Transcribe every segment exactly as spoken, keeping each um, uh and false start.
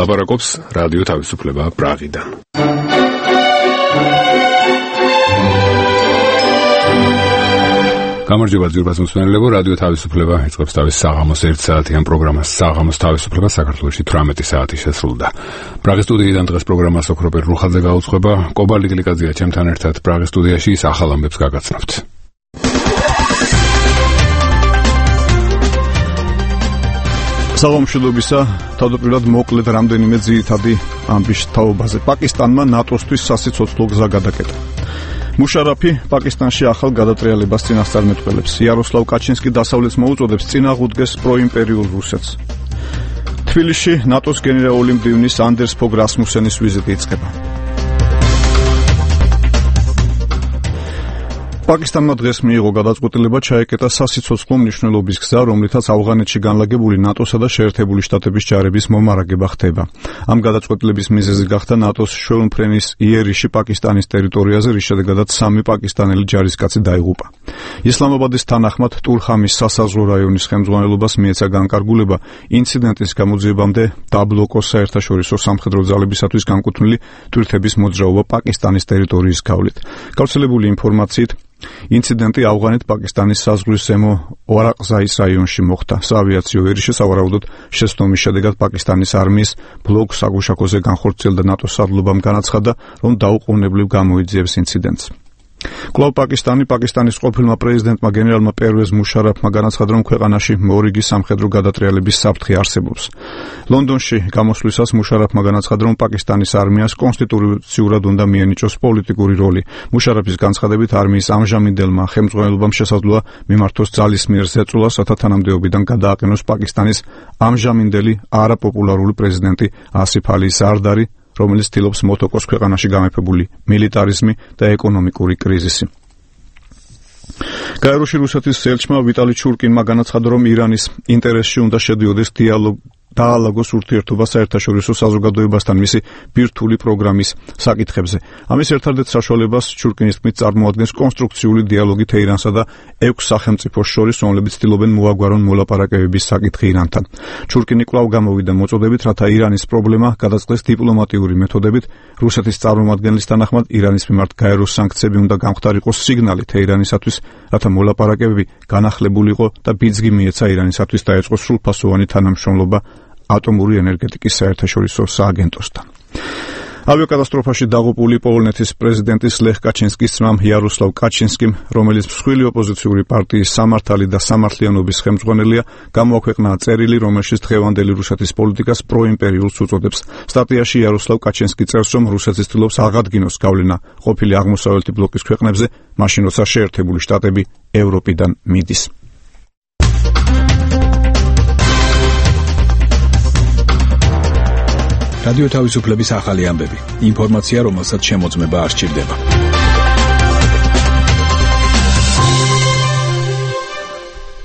ლაპარაკობს რადიო თავისუფლება პრაღიდან. გამარჯობა ძვირფას მსმენელებო, რადიო თავისუფლება იწყებს თავის საღამოს ერთ საათიან პროგრამას. საღამოს თავისუფლება საქართველოში თვრამეტი საათი შესრულდა. პრაღის სტუდიიდან დღეს პროგრამას ოქროპერ რუხაძე გაუძღვება. კობალი გლიკაძეა ჩემთან ერთად პრაღის სტუდიაში, ის ახალ ამბებს გაგაცნობთ. საღამოშობისა თავდაპირველად მოკლედ რამდენიმე ძირითადი ამბის თაობაზე. პაკისტანმა ნატოსთვის სასიცოცხლო გზა გადაკეტა. მუშარაფი პაკისტანში ახალ გადატრიალებას წინასწარმეტყველებს. იაროსლავ კაჩინსკი დასავლეთს მოუწოდებს წინაღუდგეს პროიმპერიულ რუსეთს. თბილისში ნატოს გენერალური მდივნის ანდერს ფოგ რასმუსენის ვიზიტი იწყება. პაკისტანმა დღეს მიიღო გადაწყვეტილება ჩაეკეტა სასიცოცხლო მნიშვნელობის გზა, რომლითაც ავღანეთში განლაგებული ნატოსა და შეერთებული შტატების ჯარების მომარაგება ხდება. ამ გადაწყვეტილების მიზეზი გახდა ნატოს შვეულმფრენის იერიში პაკისტანის ტერიტორიაზე, რის შედეგადაც სამი პაკისტანელი ჯარისკაცი დაიღუპა. ისლამაბადის თანახმად ტურხამის სასაზღვრო რაიონის ხელმძღვანელობას მიეცა განკარგულება ინციდენტის გამოძიებამდე დაბლოკოს საერთაშორისო სამხედრო ძალებისათვის განკუთვნილი თვითების მოძრაობა პაკისტანის ტერიტორიის გავლით. გავრცელებული ინფორმაციით ინციდენტი ავღანეთ-პაკისტანის საზღვრის ზემო ვარაყზაის რაიონში მოხდა. საავიაციო ერიში სავარაუდოდ შეცდომის შედეგად პაკისტანის არმიის ბლოკ საგუშაკოზე განხორციელდა ნატოს სარდლობამ განაცხადა, რომ დაუყოვნებლივ გამოიძიებს ინციდენტს. კვლავ პაკისტანი პაკისტანის ყოფილმა პრეზიდენტმა გენერალმა პერვეზ მუშარაფმა განაცხადა, რომ ქვეყანაში მორიგი სამხედრო გადატრიალების საფრთხე არსებობს. ლონდონში გამოსვლისას მუშარაფმა განაცხადა, რომ პაკისტანის არმიას კონსტიტუციურად უნდა მიენიჭოს პოლიტიკური როლი. მუშარაფის განცხადებით არმიის ამჟამინდელმა ხელმძღვანელობამ შესაძლოა მიმართოს ძალისმიერ ზეწოლას, რათა თანამდებობიდან გადააყენოს პაკისტანის ამჟამინდელი არაპოპულარული პრეზიდენტი ასიფ ალი ზარდარი, რომელიც ცდილობს მოთოკოს ქვეყანაში გამეფებული მილიტარიზმი და ეკონომიკური კრიზისი. გაეროში რუსეთის ელჩმა ვიტალი ჩურკინმა განაცხადა, რომ ირანის ინტერესში უნდა შედიოდეს დიალოგი დაალაგოს ურთიერთობა საერთაშორისო საზოგადოებასთან მისი ბირთვული პროგრამის საკითხებზე. ამის ერთადერთ საშუალებას ჩურკინის თქმით წარმოადგენს კონსტრუქციული დიალოგი თეირანსა და ექვს სახელმწიფოს შორის, რომლებიც ცდილობენ მოაგვარონ მოლაპარაკებების საკითხი ირანთან. ჩურკინი კვლავ გამოვიდა მოწოდებით, რათა ირანის პრობლემა გადაწყდეს დიპლომატიური მეთოდებით. რუსეთის წარმომადგენლის თანახმად ირანის მიმართ გაეროს სანქციები უნდა გამხდარიყოს სიგნალი თეირანისათვის, რათა მოლაპარაკებები განახლებულიყო და ბიძგი მიეცა ირანისათვის დაეწყოს სრულფასოვანი თანამშრომლობა ატომური ენერგეტიკის საერთაშორისო სააგენტოსთან. ავიაკატასტროფაში დაღუპული პოლონეთის პრეზიდენტის ლეხ კაჩინსკის ძმამ იაროსლავ კაჩინსკიმ, რომელიც მსხვილი ოპოზიციური პარტიის სამართალი და სამართლიანობის ხელმძღვანელია, გამოაქვეყნა წერილი, რომელშიც დღევანდელი რუსეთის პოლიტიკას პროიმპერიულს უწოდებს. სტატიაში იაროსლავ კაჩინსკი წერს, რომ რუსეთი ცდილობს აღადგინოს გავლენა ყოფილი აღმოსავლეთი ბლოკის ქვეყნებზე, მაშინ როცა შეერთებული შტატები ევროპიდან მიდის. რადიო თავისუფლების ახალი ამბები. ინფორმაცია, რომელსაც შემოწმება არ სჭირდება.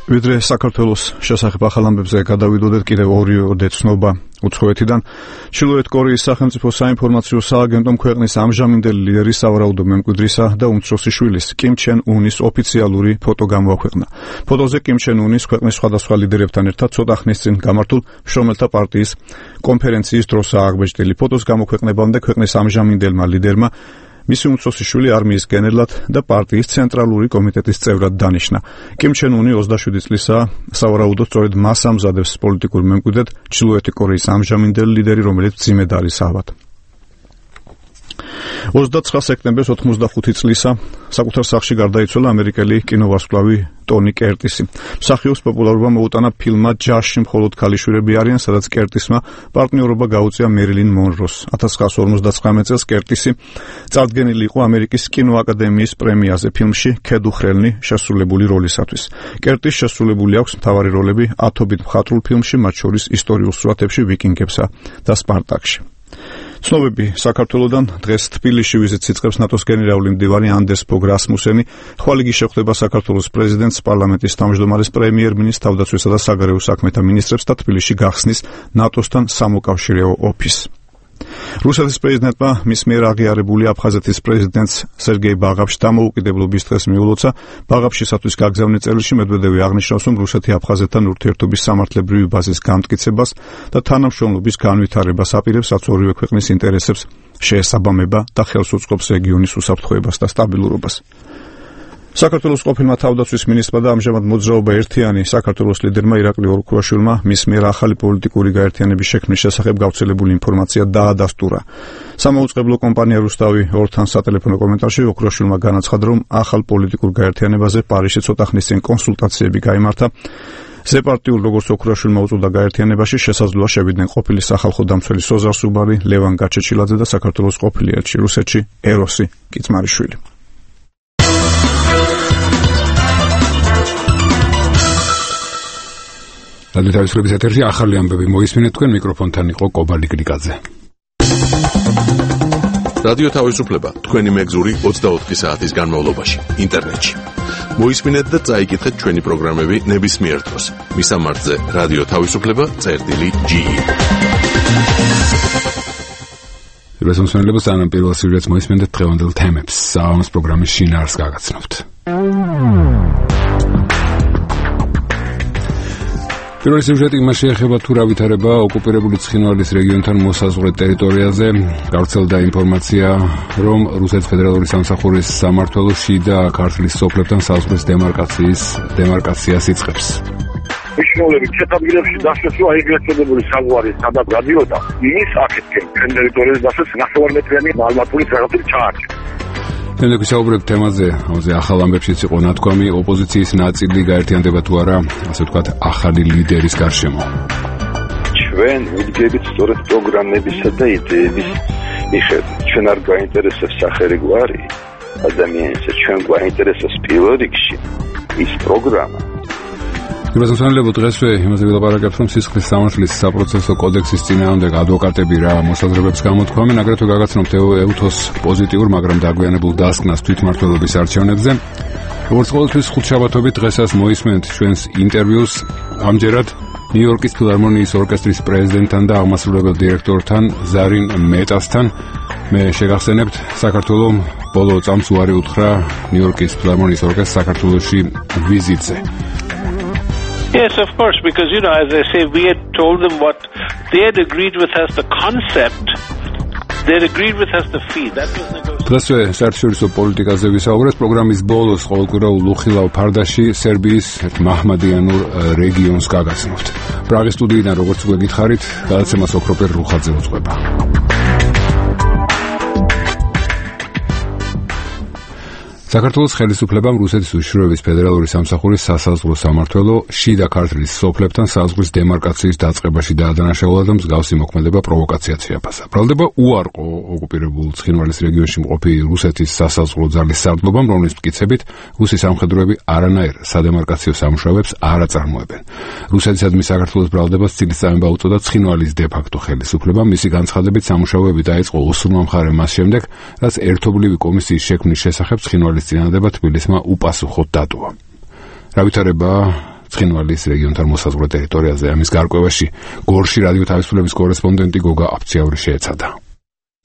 ვიდრე საქართველოს შესახებ ახალ ამბებზე გადავიდოდეთ, კიდევ ორი დეცნობა უცხოეთიდან. ჩრდილოეთ კორეის სახელმწიფო საინფორმაციო სააგენტომ ქვეყნის ამჟამინდელი ლიდერის სავარაუდო მემკვიდრისა და უმცროსი შვილის კიმ ჩენ უნის ოფიციალური ფოტო გამოაქვეყნა. ფოტოზე კიმ ჩენ უნის ქვეყნის სხვადასხვა ლიდერებთან ერთად ცოტა ხნის წინ გამართულ მშრომელთა პარტიის კონფერენციის დროსაა აღბეჭდილი. ფოტოს გამოქვეყნებამდე ქვეყნის ამჟამინდელმა ლიდერმა მისი უმცროსი შვილი არმიის გენერლად და პარტიის ცენტრალური კომიტეტის წევრად დანიშნა. კიმ ჩენ უნი ოცდაშვიდი წლისაა, სავარაუდოდ სწორედ მას ამზადებს პოლიტიკურ მემკვიდრედ ჩრდილოეთი კორეის ამჟამინდელი ლიდერი, რომელიც მძიმედ არის ავად. ოცდაცხრა სექტემბერს ოცდახუთი წლისა საკუთარ სახლში გარდაიცვალა ამერიკელი კინოვარსკვლავი ტონი კერტისი. მსახიობს პოპულარობა მოუტანა ფილმმა ჯაშში მხოლოდ ქალიშვილები არიან, სადაც კერტისმა პარტნიორობა გაუწია მერილინ მონროს. ათას ცხრაასი ორმოცდაცხრამეტ წელს კერტისი წარდგენილი იყო ამერიკის კინოაკადემიის პრემიაზე ფილმში ქედუხრელნი შესრულებული როლისათვის. კერტის შესრულებული აქვს მთავარი როლები ათობით მხატვრულ ფილმში, მათ შორის ისტორიულ სურათებში ვიკინგებსა და სპარტაკში. ცნობები საქართველოდან დღეს თბილისში ვიზიტს იწყებს ნატოს გენერალური მდივანი ანდერს ფოგ რასმუსენი. ხვალ იგი შეხვდება საქართველოს პრეზიდენტს, პარლამენტის თავმჯდომარეს, პრემიერ-მინისტრს, თავდაცვისა და საგარეო საქმეთა მინისტრებს და თბილისში გახსნის ნატოსთან სამოკავშირეო ოფისს. რუსეთის პრეზიდენტმა მის მიერ აღიარებული აფხაზეთის პრეზიდენტს სერგეი ბაღაფში დამოუკიდებლობის დღეს მიულოცა. ბაღაფშისათვის გაგზავნილ წერილში მედვედევი აღნიშნავს, რომ რუსეთი აფხაზეთთან ურთიერთობის სამართლებრივი ბაზის გამტკიცებას და თანამშრომლობის განვითარებას აპირებს, რაც ორივე ქვეყნის ინტერესებს შეესაბამება და ხელს უწყობს რეგიონის უსაფრთხოებას და სტაბილურობას. საქართველოს ყოფილმა თავდაცვის მინისტრმა და ამჟამად მოძრაობა ერთიანი საქართველოს ლიდერმა ირაკლი ორქუაშვილმა მის მიერ ახალი პოლიტიკური გაერთიანების შექმნის შესახებ გავრცელებული ინფორმაცია დაადასტურა. სამაუწყებლო კომპანია რუსთავი ორთან სატელეფონო კომენტარში ორქუაშვილმა განაცხადა, რომ ახალ პოლიტიკურ გაერთიანებაზე პარიზში ცოტა ხნის წინ კონსულტაციები გაიმართა. ზეპარტიულ როგორც ოქროაშვილმა უწოდა გაერთიანებაში შესაძლოა შევიდნენ ყოფილი სახალხო დამცველი სოზარ სუბარი, ლევან გაჩეჩილაძე და საქართველოს ყოფილი ელჩი რუსეთში ეროსი კიცმარიშვილი. რადიო თავისუფლების ეთერში ახალი ამბები მოისმინეთ, თქვენ მიკროფონთან იყო კობალი გრიგაძე. რადიო თავისუფლება თქვენი მეგზური ოცდაოთხი საათის განმავლობაში ინტერნეტში. მოისმინეთ და წაიკითხეთ ჩვენი პროგრამები ნებისმიერ დროს. მისამართზე რადიო თავისუფლება წერტილი ჯი. რესურსებელებს ანამ პირველ სიუჟეტს მოისმინეთ დღევანდელ თემებს. საღამოს პროგრამის შინაარსს გაგაცნობთ. პირველი სიუჟეტი იმას შეეხება, თუ რა ვითარება ოკუპირებული ცხინვალის რეგიონთან მოსაზღვრე ტერიტორიაზე. გავრცელდა ინფორმაცია, რომ რუსეთის ფედერალური სამსახურის სამმართველო შიდა ქართლის სოფლებთან საზღვრის დემარკაციის დემარკაციას იწყებს. მნიშვნელოვანი ჩეთაბილებში დასვეს, რომ ეგრეთ წოდებული საზღვარი სადაც გადიოდა, იმის აქეთკენ ტერიტორიაზე დასვეს ნახევარმეტრიანი მალმატული ფერადული ჩაარჩა. შემდეგ ვისაუბრებთ თემაზე, ამაზე ახალ ამბებშიც იყო ნათქვამი, ოპოზიციის ნაწილი გაერთიანდება თუ არა, ასე ვთქვათ, ახალი ლიდერის გარშემო. ჩვენ ვიდგებით სწორედ პროგრამებისა და იდეების მიხედვით. ჩვენ არ გვაინტერესებს სახელი გვარი ადამიანისა, ჩვენ გვაინტერესებს პირველ რიგში ის პროგრამა. რესურსებელებო დღესვე იმაზე ვილაპარაკებთ, რომ სისხლის სამართლის საპროცესო კოდექსის წინააღმდეგ ადვოკატები რა მოსაზრებებს გამოთქვამენ, აგრეთვე გაგაცნობთ ევთოს პოზიტიურ, მაგრამ დაგვიანებულ დასკვნას თვითმმართველობის არჩევნებზე. როგორც ყოველთვის ხუთშაბათობით დღესაც მოისმენთ ჩვენს ინტერვიუს, ამჯერად ნიუ-იორკის ფილარმონიის ორკესტრის პრეზიდენტთან და აღმასრულებელ დირექტორთან ზარინ მეტასთან. მე შეგახსენებთ, საქართველოს ბოლო წამს უარი უთხრა ნიუ-იორკის ფილარმონიის ორკესტრს საქართველოში ვიზიტზე. Yes, of course, because, you know, as I say, we had told them what they had agreed with us, the concept, they had agreed with us the fee. That was negotiated. დღესვე საერთაშორისო პოლიტიკაზე ვისაუბრეთ. პროგრამის ბოლოს ყოველკვირაულ უხილავ ფარდაში სერბიის მაჰმადიანურ რეგიონს გაგაცნობთ. პრაღის სტუდიიდან, როგორც უკვე გითხარით, გადაცემას ოქროპერ რუხაძე უძღვება. საქართველოს ხელისუფლებამ რუსეთის უშიშროების ფედერალური სამსახურის სასაზღვრო სამმართველო შიდა ქართლის სოფლებთან საზღვრის დემარკაციის დაწყებაში დაადანაშაულა და მსგავსი მოქმედება პროვოკაციად შეაფასა. ბრალდება უარყო ოკუპირებულ ცხინვალის რეგიონში მყოფი რუსეთის სასაზღვრო ძალის სარდლობამ, რომლის მტკიცებით რუსი სამხედროები არანაირ სადემარკაციო სამუშაოებს არ აწარმოებენ. რუსეთისადმი საქართველოს ბრალდებას ცილისწამება უწოდა ცხინვალის დე-ფაქტო ხელისუფლებამ. მისი განცხადებით სამუშაოები დაიწყო ოსურმა მხარემ მას შემდეგ, რაც ერთობლივი კომისიის შექმნის შესახებ ცხინვალის წინადადება თბილისმა უპასუხოდ დატოვა. რა ვითარება ცხინვალის რეგიონთან მოსაზღვრე ტერიტორიაზე? ამის გარკვევაში გორში რადიო თავისუფლების კორესპონდენტი გოგა აფციაური შეეცადა.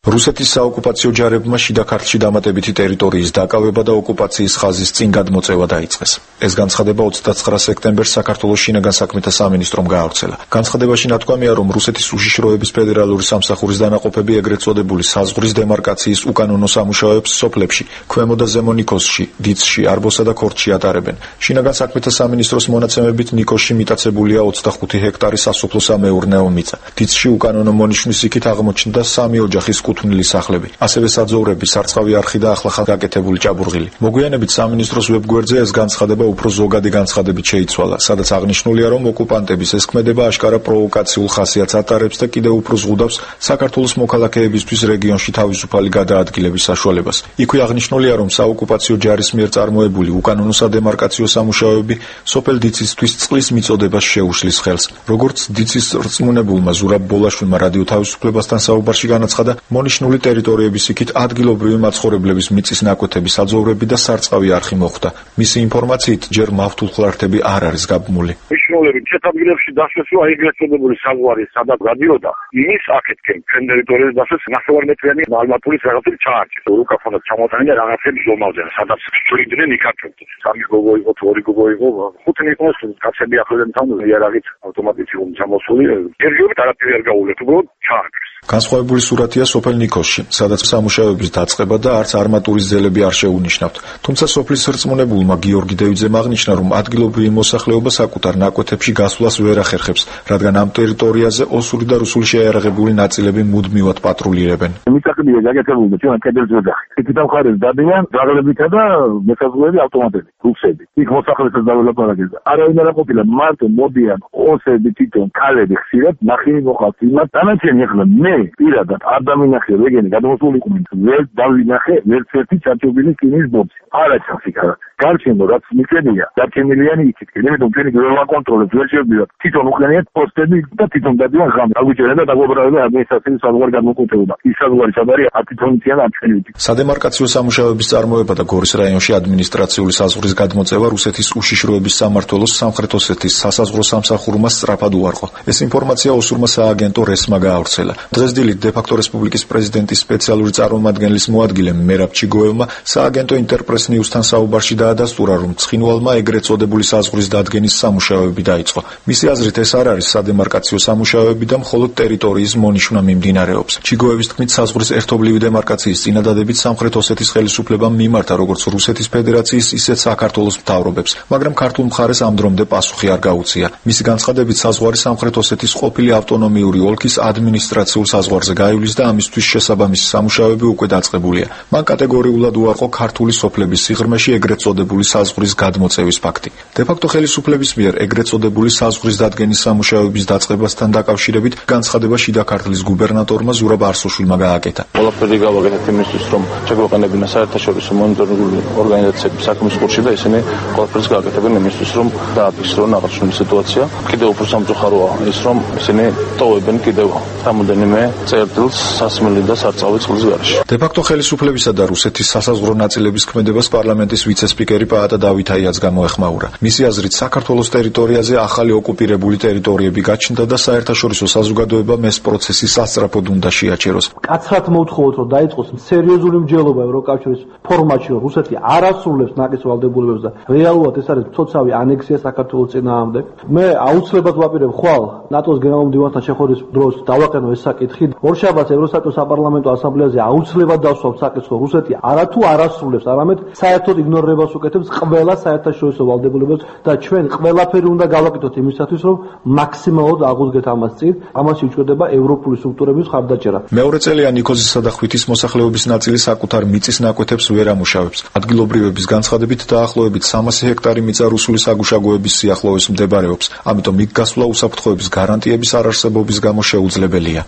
რუსეთის საოკუპაციო ჯარებმა შიდა ქართლში დამატებითი ტერიტორიის დაკავება და ოკუპაციის ხაზის წინ გადმოწევა დაიწყეს. ეს განცხადება ოცდაცხრა სექტემბერს საქართველოს შინაგან საქმეთა სამინისტრომ გაავრცელა. განცხადებაში ნათქვამია, რომ რუსეთის უშიშროების ფედერალური სამსახურის დანაყოფები ეგრეთ წოდებული საზღვრის დემარკაციის უკანონო სამუშაოებს სოფლებში, ქვემო და ზემო ნიქოზში, დიცში, არბოსა და ქორდში ატარებენ. შინაგან საქმეთა სამინისტროს მონაცემებით ნიქოზში მიტაცებულია ოცდახუთი ჰექტარი სასოფლო სამეურნეო მიწა. დიცში უკანონო მონიშნის იქით აღმოჩნდა სამი ოჯახის კუთვნილი სახლები, ასევე საძოვრები, სარწყავი არხი და ახლახან გაკეთებული ჭაბურღილი. მოგვიანებით სამინისტროს ვებგვერდზე ეს განცხადება უფრო ზოგადი განცხადებით შეიცვალა, სადაც აღნიშნულია, რომ ოკუპანტების ეს ქმედება აშკარა პროვოკაციულ ხასიათს ატარებს და კიდევ უფრო ზღუდავს საქართველოს მოქალაქეებისთვის რეგიონში თავისუფალი გადაადგილების საშუალებას. იქვე აღნიშნულია, რომ საოკუპაციო ჯარის მიერ წარმოებული უკანონო სადემარკაციო სამუშაოები სოფელ დიცისთვის წყლის მიწოდებას შეუშლის ხელს. როგორც დიცის რწმუნებულმა ზურაბ ბოლაშვილმა რადიო თავისუფლებასთან საუბარში განაცხადა, მონიშნული ტერიტორიების იქით ადგილობრივი მაცხოვრებლების მიწის ნაკვეთები, საძოვრები და სარწყავი არხი მოხვდა. მისი ინფორმაციით ჯერ მავთულხლართები არ არის გაბმული. მნიშვნელოვანი ჩეთადგილებში დასვლა ეგრეთ წოდებული საზღვარი, სადაც გადიოდა, იმის აქეთკენ ჩვენ ტერიტორიაზე დასვლა ნახევარმეტრიანი მალმატულის რაღაცები ჩაარჩეს. რუკაფონად ჩამოტანილი და რაღაცები ზომალზე, სადაც ჭრიდნენ იქართებდა. სამი გოგო იყო, ორი გოგო იყო, ხუთი იყოს, კაცები ახლდან თამული იარაღით ავტომატით იყო ჩამოსული. ერთჯერობით არაფერი არ გაუვლეთ, უბრალოდ ჩაარჩეს. განსხვავებული სურათია სოფელ ნიქოზში, სადაც სამუშაოების დაწყება და არც არმატურის ძელები არ შეუნიშნავთ. თუმცა სოფლის რწმუნებულმა გიორგი დევიძემ აღნიშნა, რომ ადგილობრივი მოსახლეობა საკუთარ ნაკვეთებში გასვლას ვერ ახერხებს, რადგან ამ ტერიტორიაზე ოსური და რუსული შეიარაღებული ნაწილები მუდმივად პატრულირებენ. მიწაკებია გაკეთებული და ჩვენ კედელზე ვდახით. იქით მხარეს დადიან ძაღლებითა და მესაზღვრეები ავტომატები, რუსები. იქ მოსახლეობას დაველაპარაკეს. არავინ არ ყოფილა, მარტო მოდიან ოსები, თვითონ ქალები ხშირად ნახინი მოყავთ იმათ. დანარჩენი ახლა მე პირადად არ დამინახე რეგენი გადმოსულიყვნენ ვერ დავინახე ერთ-ერთი ჩარჩობილი კინის ბოქსი არა ჩანს იქ გარჩენო რაც მიწებია დარჩენილიანი იქითკენ იმიტომ ჩვენი გროლა კონტროლებს ვერ შევდივართ თვითონ უყენიათ პოსტები და თვითონ დადიან ღამე აგვიჭერენ და დაგვებრალება ადმინისტრაციის საზღვარი გადმოკუთეობა ის საზღვარი სადარი ათითონიციან არჩენილი სადემარკაციო სამუშაოების წარმოება და გორის რაიონში ადმინისტრაციული საზღვრის გადმოწევა რუსეთის უშიშროების სამმართველოს სამხრეთ ოსეთის სასაზღვრო სამსახურმა სწრაფად უარყო ეს ინფორმაცია ოსურმა სააგენტო რესმა გაავრცელა დღეს დილით დე-ფაქტო რესპუბლიკის პრეზიდენტის სპეციალური წარმომადგენლის მოადგილემ მერაბ ჩიგოევმა სააგენტო ინტერპრეს ნიუსთან საუბარში დაადასტურა, რომ ცხინვალმა ეგრეთ წოდებული საზღვრის დადგენის სამუშაოები დაიწყო. მისი აზრით ეს არ არის სადემარკაციო სამუშაოები და მხოლოდ ტერიტორიის მონიშვნა მიმდინარეობს. ჩიგოევის თქმით, საზღვრის ერთობლივი დემარკაციის წინადადებით სამხრეთ ოსეთის ხელისუფლებამ მიმართა როგორც რუსეთის ფედერაციის, ისე საქართველოს მთავრობებს, მაგრამ ქართულ მხარეს ამ დრომდე პასუხი არ გაუწია. მისი განცხადებით, საზღვარი სამხრეთ ოსეთის ყოფილი ავტონომიური ოლქის ადმინისტრაციულ საზღვარზე გაივლის და ამისთვის შესაბამისი სამუშაოები უკვე დაწყებულია. მან კატეგორიულად უარყო ქართული სოფლების სიღრმეში ეგრეთ წოდებული საზღვრის გადმოწევის ფაქტი. დე-ფაქტო ხელისუფლების მიერ ეგრეთ წოდებული საზღვრის დადგენის სამუშაოების დაწყებასთან დაკავშირებით განცხადება შიდა ქართლის გუბერნატორმა ზურაბ არსოშვილმა გააკეთა. ყველაფერი გავაკეთეთ იმისთვის, რომ შეგვეყენებინა საერთაშორისო მონიტორინგული ორგანიზაციების საქმის კურსი და ისინი ყველაფერს გააკეთებენ იმისთვის, რომ დააფიქსირონ აღნიშნული სიტუაცია. კიდევ უფრო სამწუხაროა ის, რომ ისინი ტოვებენ კიდევ რამოდენიმე წერტილს სასმელი და სარწყავი წყლის გარეშე. დე-ფაქტო ხელისუფლებისა და რუსეთის სასაზღვრო ნაწილების ქმედებას პარლამენტის ვიცე-სპიკერი პაატა დავითაიაც გამოეხმაურა. მისი აზრით, საქართველოს ტერიტორიაზე ახალი ოკუპირებული ტერიტორიები გაჩნდა და საერთაშორისო საზოგადოებამ ეს პროცესი სასწრაფოდ უნდა შეაჩეროს. კაცრად მოვთხოვოთ, რომ დაიწყოს სერიოზული მსჯელობა ევროკავშირის ფორმატში, რომ რუსეთი არ ასრულებს ნაკის ვალდებულებებს და რეალურად ეს არის მცოცავი ანექსია საქართველოს წინააღმდეგ. მე აუცილებლად ვაპირებ ხვალ ნატოს გენერალ-მდივანთან შეხვედრის დროს დავაყენო ეს საკითხი. ორშაბათს ევროსაბჭოს საპარლამენტო ასამბლეაზე აუცილებლად დავსვამ საკითხს, რუსეთი არათუ არ ასრულებს, არამედ საერთოდ იგნორირებას უკეთებს ყველა საერთაშორისო ვალდებულებებს და ჩვენ ყველაფერი უნდა გავაკეთოთ იმისათვის, რომ მაქსიმალურად აღუდგეთ ამას წინ. ამაში უჭირდება ევროპული სტრუქტურების ხარდაჭერა. მეორე წელია ნიქოზისა და ხვითის მოსახლეობის ნაწილი საკუთარ მიწის ნაკვეთებს ვერ ამუშავებს. ადგილობრივების განცხადებით დაახლოებით სამასი ჰექტარი მიწა რუსული საგუშაგოების სიახლოვეს მდებარეობს. ამიტომ იქ გასვლა უსაფრთხოების გარანტიების არარსებობის გამო შეუძლებელია.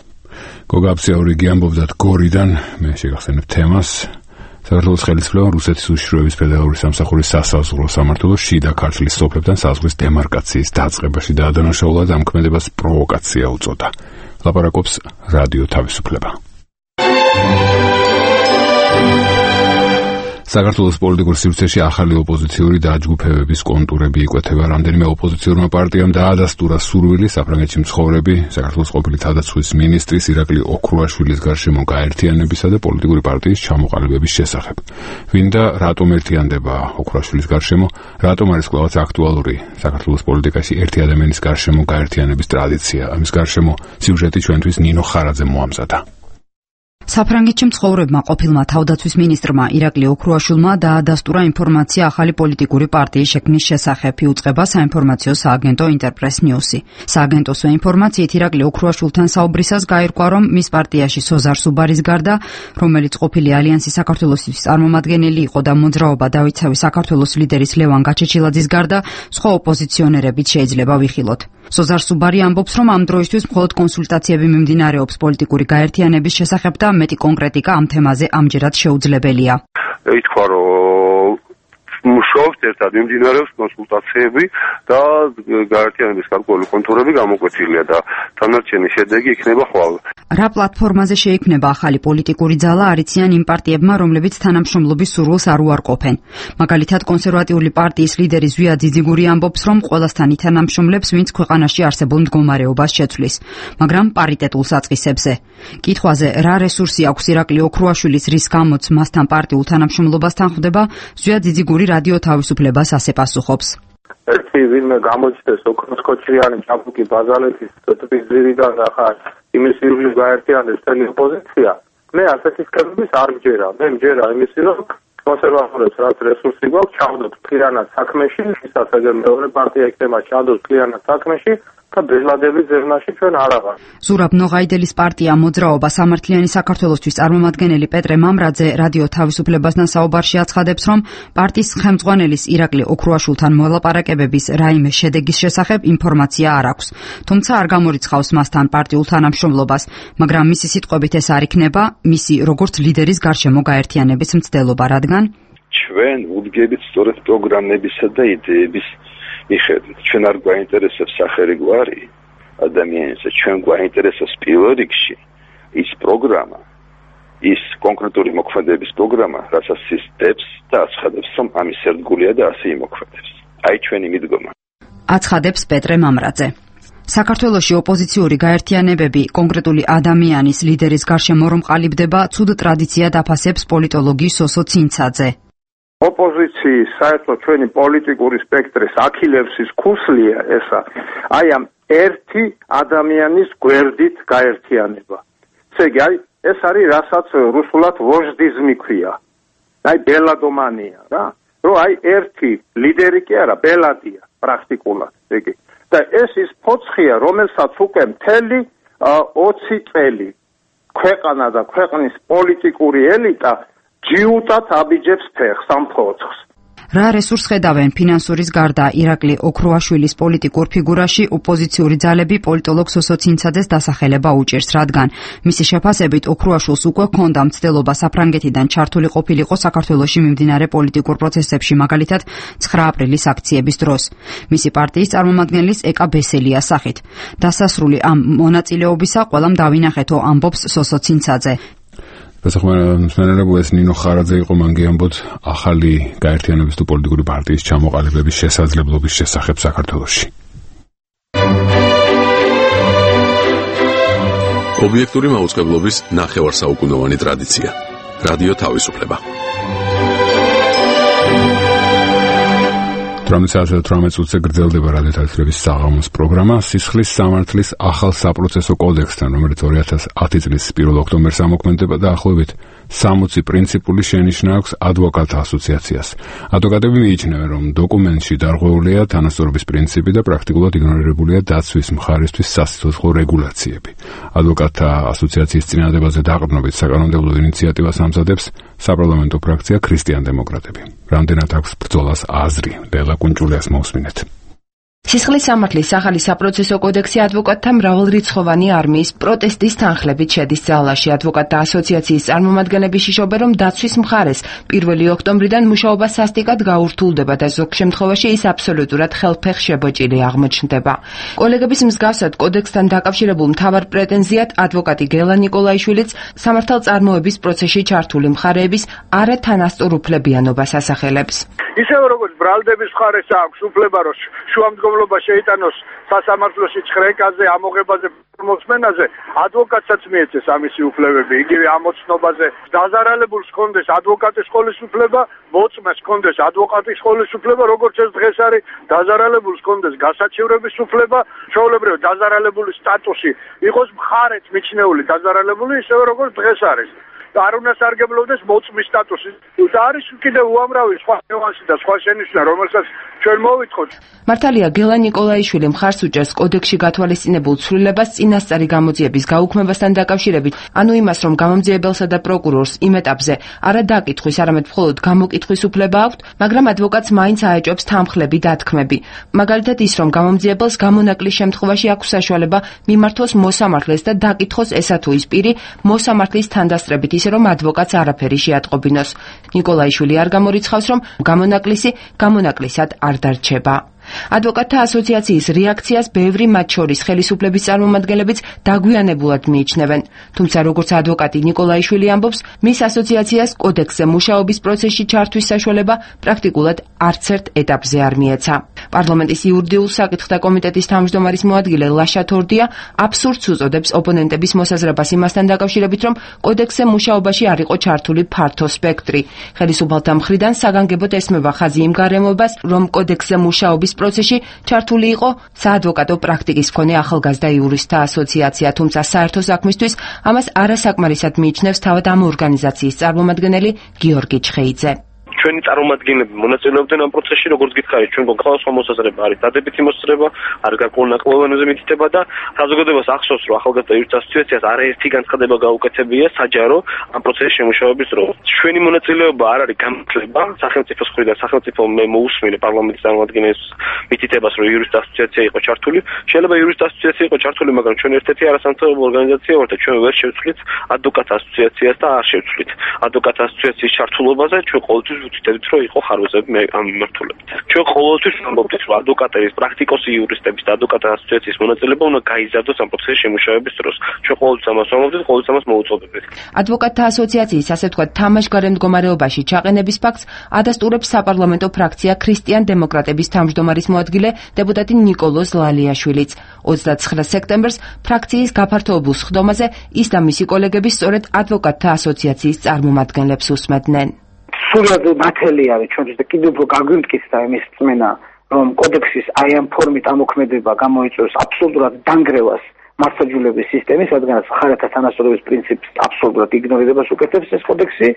გოგაბსიაურიგი ამბობდა გორიდან, მე შეგახსენებ თემას. საქართველოს ხელისუფლებამ რუსეთის უშიშროების ფედერალური სამსახურის სასაზღვრო სამმართველოს შიდა ქართლის სოფლებთან საზღვრის დემარკაციის დაწყებაში დაადანაშაულა და ამ ქმედებას პროვოკაცია უწოდა. ლაპარაკობს რადიო თავისუფლება. საქართველოს პოლიტიკურ სივრცეში ახალი ოპოზიციური დაჯგუფებების კონტურები იკვეთება. რამდენიმე ოპოზიციურმა პარტიამ დაადასტურა სურვილი საფრანგეთში მცხოვრები საქართველოს ყოფილი თავდაცვის მინისტრის ირაკლი ოქრუაშვილის გარშემო გაერთიანებისა და პოლიტიკური პარტიის ჩამოყალიბების შესახებ. ვინ და რატომ ერთიანდება ოქრუაშვილის გარშემო? რატომ არის კვლავაც აქტუალური საქართველოს პოლიტიკაში ერთი ადამიანის გარშემო გაერთიანების ტრადიცია? ამის გარშემო სიუჟეტი ჩვენთვის ნინო ხარაძემ მოამზადა. საფრანგეთში მცხოვრებმა ყოფილმა თავდაცვის მინისტრმა ირაკლი ოქრუაშვილმა დაადასტურა ინფორმაცია ახალი პოლიტიკური პარტიის შექმნის შესახებ, იუწყება საინფორმაციო სააგენტო ინტერპრეს ნიუსი. სააგენტოს ინფორმაციით ირაკლი ოქრუაშვილთან საუბრისას გაირკვა, რომ მის პარტიაში სოზარ სუბარის გარდა, რომელიც ყოფილი ალიანსის საქართველოსთვის წარმომადგენელი იყო და მოძრაობა დავითსავი საქართველოს ლიდერის ლევან გაჩეჩილაძის გარდა, სხვა ოპოზიციონერებიც შეიძლება ვიხილოთ. სოზარ სუბარი ამბობს, რომ ამ დროისთვის მხოლოდ კონსულტაციები მიმდინარეობს პოლიტიკური გაერთიანების შესახებ და მეტი კონკრეტიკა ამ თემაზე ამჯერად შეუძლებელია. ითქვა, რომ მუშაობს ერთად, მიმდინარეობს კონსულტაციები და გაერთიანების გარკვეული კონტურები გამოკვეთილია და დანარჩენი შედეგი იქნება ხვალ. რა პლატფორმაზე შეიქმნება ახალი პოლიტიკური ძალა არიციან იმ პარტიებმა, რომლებიც თანამშრომლობის სურვილს არ უარყოფენ. მაგალითად, კონსერვატიული პარტიის ლიდერი ზვია ძიძიგური ამბობს, რომ ყველასთან ითანამშრომლებს, ვინც ქვეყანაში არსებულ მდგომარეობას შეცვლის, მაგრამ პარიტეტულ საწყისებზე. კითხვაზე, რა რესურსი აქვს ირაკლი ოქრუაშვილის, რის გამოც მასთან პარტიულ თანამშრომლობასთან ხვდება, ზვია ძიძიგური რადიო თავისუფლებას ასე პასუხობს. ერთი ვინმე გამოჩნდეს ოქროსკოჩრიანი ჭაბუკი ბაზალეთის ტბის ძირიდან ახლა იმის ირგვლივ გაერთიანდეს წელი ოპოზიცია, მე ასეთი სქემების არ მჯერა. მე მჯერა იმისი, რომ კონსერვატორებს რაც რესურსი გვაქვს, ჩავდოთ მთლიანად საქმეში, ისაც ეგრე მეორე პარტია იქნება ჩავდოთ მთლიანად საქმეში და ბელადების ზერნაში ჩვენ არ აღარ. ზურაბ ნოღაიდელის პარტია მოძრაობა სამართლიანი საქართველოსთვის წარმომადგენელი პეტრე მამრაძე რადიო თავისუფლებასთან საუბარში აცხადებს, რომ პარტიის ხელმძღვანელის ირაკლი ოქრუაშვილთან მოლაპარაკებების რაიმე შედეგის შესახებ ინფორმაცია არ აქვს. თუმცა არ გამორიცხავს მასთან პარტიულ თანამშრომლობას, მაგრამ მისი სიტყვებით ეს არ იქნება მისი როგორც ლიდერის გარშემო გაერთიანების მცდელობა, რადგან ჩვენ ვუდგებით სწორედ პროგრამებისა და იდეების მიხედვით. ჩვენ არ გვაინტერესებს სახელი გვარი ადამიანზე, ჩვენ გვაინტერესებს პირველ რიგში ის პროგრამა, ის კონკრეტული მოქმედების პროგრამა, რასაც ის დებს და აცხადებს, რომ ამის ერთგულია და ასე იმოქმედებს. აი ჩვენი მიდგომა. აცხადებს პეტრე მამრაძე. საქართველოში ოპოზიციური გაერთიანებები კონკრეტული ადამიანის ლიდერის გარშემო რომ ყალიბდება, ცუდ ტრადიციად აფასებს პოლიტოლოგი სოსო ცინცაძე. ოპოზიციის საერთოდ ჩვენი პოლიტიკური სპექტრის აქილევსის ქუსლია ესა. აი ამ ერთი ადამიანის გვერდით გაერთიანება. ესე იგი, აი ეს არის რასაც რუსულად ვოჟდიზმი ქვია. აი ბელადომანია რა. რომ აი ერთი ლიდერი კი არა, ბელადია პრაქტიკულად, იგი. და ეს ის ფოცხია, რომელსაც უკვე მთელი ოცი წელი ქვეყანა და ქვეყნის პოლიტიკური ელიტა ჯიუტად აბიჯებს ფეხს ამ ფოცხს. რა რესურს ხედავენ ფინანსურის გარდა ირაკლი ოქრუაშვილის პოლიტიკურ ფიგურაში ოპოზიციური ძალები პოლიტოლოგ სოსო ცინცაძეს დასახელება უჭერს, რადგან მისი შეფასებით ოქრუაშვილს უკვე ჰქონდა მცდელობა საფრანგეთიდან ჩართული ყოფილიყო საქართველოში მიმდინარე პოლიტიკურ პროცესებში, მაგალითად ცხრა აპრილის აქციების დროს. მისი პარტიის წარმომადგენლის ეკა ბესელიას სახით. დასასრული ამ მონაწილეობისა ყველამ დავინახეთო, ამბობს სოსო ცინცაძე. დასახმარებლად ეს ნინო ხარაძე იყო მან გიამბოთ ახალი გაერთიანების თუ პოლიტიკური პარტიის ჩამოყალიბების შესაძლებლობის შესახებ საქართველოში. ობიექტური მაუწყებლობის ნახევარსაუკუნოვანი ტრადიცია. რადიო თავისუფლება. თვრამეტ წუთზე გრძელდება რადიო თავისუფლების საღამოს პროგრამა სისხლის სამართლის ახალ საპროცესო კოდექსთან, რომელიც ორი ათას ათი წლის პირველ ოქტომბერს ამოქმედება და ახლობით სამოცი პრინციპული შენიშვნა აქვს ადვოკატთა ასოციაციას. ადვოკატები მიიჩნევენ, რომ დოკუმენტში დარღვეულია თანასწორობის პრინციპი და პრაქტიკულად იგნორირებულია დაცვის მხარისთვის სასიცოცხლო რეგულაციები. ადვოკატთა ასოციაციის წინადადებაზე დაყრდნობით საკანონმდებლო ინიციატივას ამზადებს საპარლამენტო ფრაქცია ქრისტიან-დემოკრატები. რამდენად აქვს ბრძოლას აზრი? ლელა კუნჭულიას მოусმინეთ. სისხლის სამართლის ახალი საპროცესო კოდექსი ადვოკატთა მრავალრიცხოვანი არმიის პროტესტის თანხლებით შედის ძალაში. ადვოკატთა ასოციაციის წარმომადგენლები შიშობენ, რომ დაცვის მხარეს პირველი ოქტომბრიდან მუშაობა სასტიკად გაურთულდება და ზოგ შემთხვევაში ის აბსოლუტურად ხელფეხ შებოჭილი აღმოჩნდება. კოლეგების მსგავსად კოდექსთან დაკავშირებულ მთავარ პრეტენზიად ადვოკატი გელა ნიკოლაიშვილიც სამართალწარმოების პროცესში ჩართული მხარეების არათანასწორუფლებიანობას ასახელებს. ისევე როგორც ბრალდების მხარეს აქვს უფლება, რომ შუამდგომლობა შეიტანოს სასამართლოში ხრეკაზე, ამოღებაზე, მოსმენაზე, ადვოკატსაც მიეცეს ამისი უფლებები, იგივე ამოცნობაზე. დაზარალებულს ჰქონდეს ადვოკატის სკოლის უფლება, მოწმეს ჰქონდეს ადვოკატის სკოლის უფლება, როგორც ეს დღეს არის, დაზარალებულს ჰქონდეს გასაჩივრების უფლება, ჩვეულებრივ დაზარალებული სტატუსი იყოს მხარეთ მიჩნეული დაზარალებული, ისევე როგორც დღეს არის. არ უნდა სარგებლობდეს მოწმის სტატუსი. და არის კიდევ უამრავი სხვა ნიუანსი და სხვა შენიშვნა, რომელსაც ჩვენ მოვითხოთ. მართალია გელა ნიკოლაიშვილი მხარს უჭერს კოდექსში გათვალისწინებულ ცვლილებას წინასწარი გამოძიების გაუქმებასთან დაკავშირებით, ანუ იმას, რომ გამომძიებელსა და პროკურორს იმ ეტაპზე არა დაკითხვის, არამედ მხოლოდ გამოკითხვის უფლება აქვთ, მაგრამ ადვოკატს მაინც აეჭვებს თანხლები დათქმები. მაგალითად ის, რომ გამომძიებელს გამონაკლის შემთხვევაში აქვს საშუალება მიმართოს მოსამართლეს და დაკითხოს ესა თუ ის პირი მოსამართლის თანდასწრებითი ისე რომ ადვოკატს არაფერი შეატყობინოს. ნიკოლაიშვილი არ გამორიცხავს, რომ გამონაკლისი გამონაკლისად არ დარჩება. ადვოკატთა ასოციაციის რეაქციას ბევრი მათ შორის ხელისუფლების წარმომადგენლებიც დაგვიანებულად მიიჩნევენ. თუმცა როგორც ადვოკატი ნიკოლაიშვილი ამბობს, მის ასოციაციას კოდექსზე მუშაობის პროცესში ჩართვის საშუალება პრაქტიკულად არც ერთ ეტაპზე არ მიეცა. პარლამენტის იურიდიულ საკითხთა კომიტეტის თავმჯდომარის მოადგილე ლაშა თორდია აბსურდს უწოდებს ოპონენტების მოსაზრებას იმასთან დაკავშირებით, რომ კოდექსზე მუშაობაში არ იყო ჩართული ფართო სპექტრი. ხელისუფალთა მხრიდან საგანგებოდ ესმება ხაზი იმ გარემოებას, რომ კოდექსზე მუშაობის პროცესში ჩართული იყო საადვოკატო პრაქტიკის მქონე ახალგაზრდა იურისტთა ასოციაცია, თუმცა საერთო საქმისთვის ამას არასაკმარისად მიიჩნევს თავად ამ ორგანიზაციის წარმომადგენელი გიორგი ჩხეიძე. ჩვენი წარმომადგენლები მონაწილეობდნენ ამ პროცესში, როგორც გითხარით, ჩვენ გვყავს მოსაზრება, არის დადებითი მოსაზრება, არის გარკვეული ნაკლებობაზე მითითება და საზოგადოებას ახსოვს, რომ ახალგაზრდა იურისტთა ასოციაციას არაერთი განცხადება გაუკეთებია საჯარო ამ პროცესში შემუშავების დროს. ჩვენი მონაწილეობა არ არის გამძლება სახელმწიფოს მხრიდან, სახელმწიფო მე მოусმინე პარლამენტის წარმომადგენლებს მითითებას, რომ იურისტთა ასოციაცია იყო ჩართული. შეიძლება იურისტთა ასოციაცია იყო ჩართული, მაგრამ ჩვენ ერთ-ერთი არასამთავრობო ორგანიზაცია ვართ და ჩვენ ვერ შევცვლით ადვოკატთა ასოციაციას და არ შევცვლით ადვოკატთა ასოციაციის ჩართულობაზე. ჩვენ ყოველთვის ვთქვით, რომ იყო ხარვეზები ამ მიმართულებით. ჩვენ ყოველთვის ვამბობთ, რომ ადვოკატების, პრაქტიკოსი იურისტების და ადვოკატთა ასოციაციის მონაწილეობა უნდა გაიზარდოს ამ პროცესში შემუშავების დროს. ჩვენ ყოველთვის ამას ვამბობთ, ყოველთვის ამას მოუწოდებთ. ადვოკატთა ასოციაციის ასე ვთქვათ თამაშგარე მდგომარეობაში ჩაყენების ფაქტს ადასტურებს საპარლამენტო ფრაქცია ქრისტიან-დემოკრატების თავმჯდომარის მოადგილე დეპუტატი ნიკოლოზ ლალიაშვილიც. ოცდაცხრა სექტემბერს ფრაქციის გაფართოებულ სხდომაზე ის და მისი კოლეგები სწორედ ადვოკატთა ასოციაციის წარმომადგენლებს უსმენდნენ. სულად ნათელი არის ჩვენთვის და კიდევ უფრო გაგვიმტკიცდა იმის წმენა, რომ კოდექსის აი ამ ფორმით ამოქმედება გამოიწვევს აბსოლუტურად დანგრევას მართლმსაჯულების სისტემის, რადგანაც მხარეთა თანასწორობის პრინციპს აბსოლუტურად იგნორირებას უკეთებს ეს კოდექსი,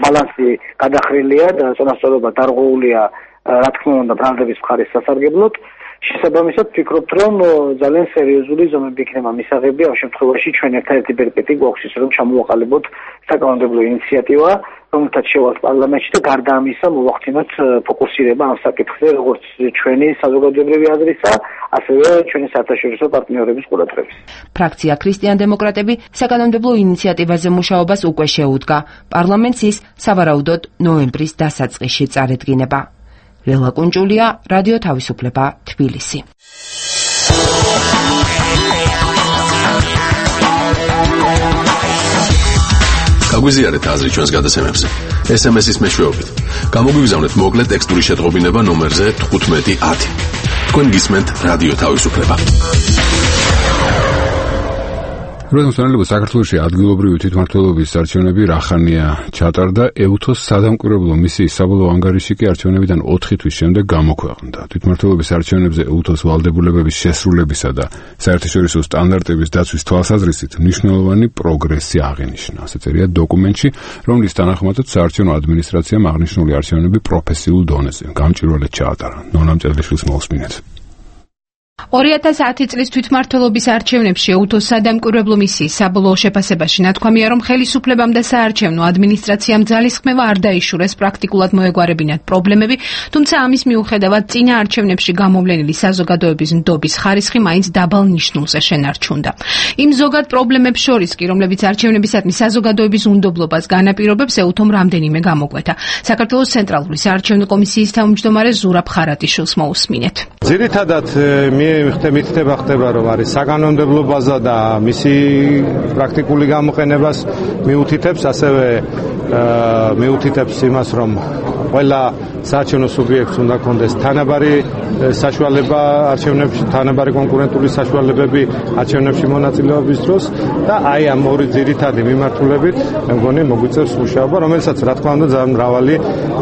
ბალანსი გადახრილია და წონასწორობა დარღვეულია, რა თქმა უნდა, ბრალდების მხარის სასარგებლოდ. შესაბამისად ვფიქრობთ, რომ ძალიან სერიოზული ზომები იქნება მისაღები ამ შემთხვევაში ჩვენ ერთადერთი ბერკეტი გვაქვს ის, რომ ჩამოვაყალიბოთ საკანონმდებლო ინიციატივა, რომელთაც შევალთ პარლამენტში და გარდა ამისა მოვახდინოთ ფოკუსირება ამ საკითხზე, როგორც ჩვენი საზოგადოებრივი აზრისა, ასევე ჩვენი საერთაშორისო პარტნიორების ყურადღების. ფრაქცია ქრისტიან-დემოკრატები საკანონმდებლო ინიციატივაზე მუშაობას უკვე შეუდგა. პარლამენტს ის სავარაუდოდ ნოემბრის დასაწყისში წარედგინება. ლელა კუნჭულია, რადიო თავისუფლება, თბილისი. გაგვიზიარეთ აზრი ჩვენს გადაცემებზე. ეს ემ ეს-ის მეშვეობით. გამოგვიგზავნეთ მოკლე ტექსტური შეტყობინება ნომერზე თხუთმეტი ათი. თქვენ გისმენთ რადიო თავისუფლება. როდესაც საქართველოში ადგილობრივი თვითმმართველობის არჩევნები რახანია ჩატარდა, ეუთოს სადამკვირვებლო მისიის საბოლოო ანგარიში კი არჩევნებიდან ოთხი თვის შემდეგ გამოქვეყნდა. თვითმმართველობის არჩევნებზე ეუთოს ვალდებულებების შესრულებისა და საერთაშორისო სტანდარტების დაცვის თვალსაზრისით მნიშვნელოვანი პროგრესი აღინიშნა. ასე წერია დოკუმენტში, რომლის თანახმადაც საარჩევნო ადმინისტრაციამ აღნიშნული არჩევნები პროფესიულ დონეზე გამჭვირვალედ ჩაატარა. ნონა მწერლიშვილს მოусმინეთ. ორი ათას ათი წლის თვითმმართველობის არჩევნებში ეუთოს სადამკვირვებლო მისიის საბოლოო შეფასებაში ნათქვამია, რომ ხელისუფლებამ და საარჩევნო ადმინისტრაციამ ძალისხმევა არ დაიშურეს პრაქტიკულად მოეგვარებინათ პრობლემები, თუმცა ამის მიუხედავად წინა არჩევნებში გამოვლენილი საზოგადოების ნდობის ხარისხი მაინც დაბალ ნიშნულზე შენარჩუნდა. იმ ზოგად პრობლემებს შორის კი, რომლებიც არჩევნებისადმი საზოგადოების უნდობლობას განაპირობებს, ეუთომ რამდენიმე გამოკვეთა. საქართველოს ცენტრალური საარჩევნო კომისიის თავმჯდომარე ზურაბ ხარატიშვილს მოусმინეთ. ძირითადად მითითება ხდება, რომ არის საკანონმდებლო ბაზა და მისი პრაქტიკული გამოყენებას მიუთითებს, ასევე მიუთითებს იმას, რომ ყველა საარჩევნო სუბიექტს უნდა კონდეს თანაბარი საშუალება არჩევნებში, თანაბარი კონკურენტული საშუალებები არჩევნებში მონაწილეობის დროს და აი ამ ორი ძირითადი მიმართულებით მე მგონი მოგვიწევს მუშაობა, რომელსაც რა თქმა უნდა ძალიან მრავალი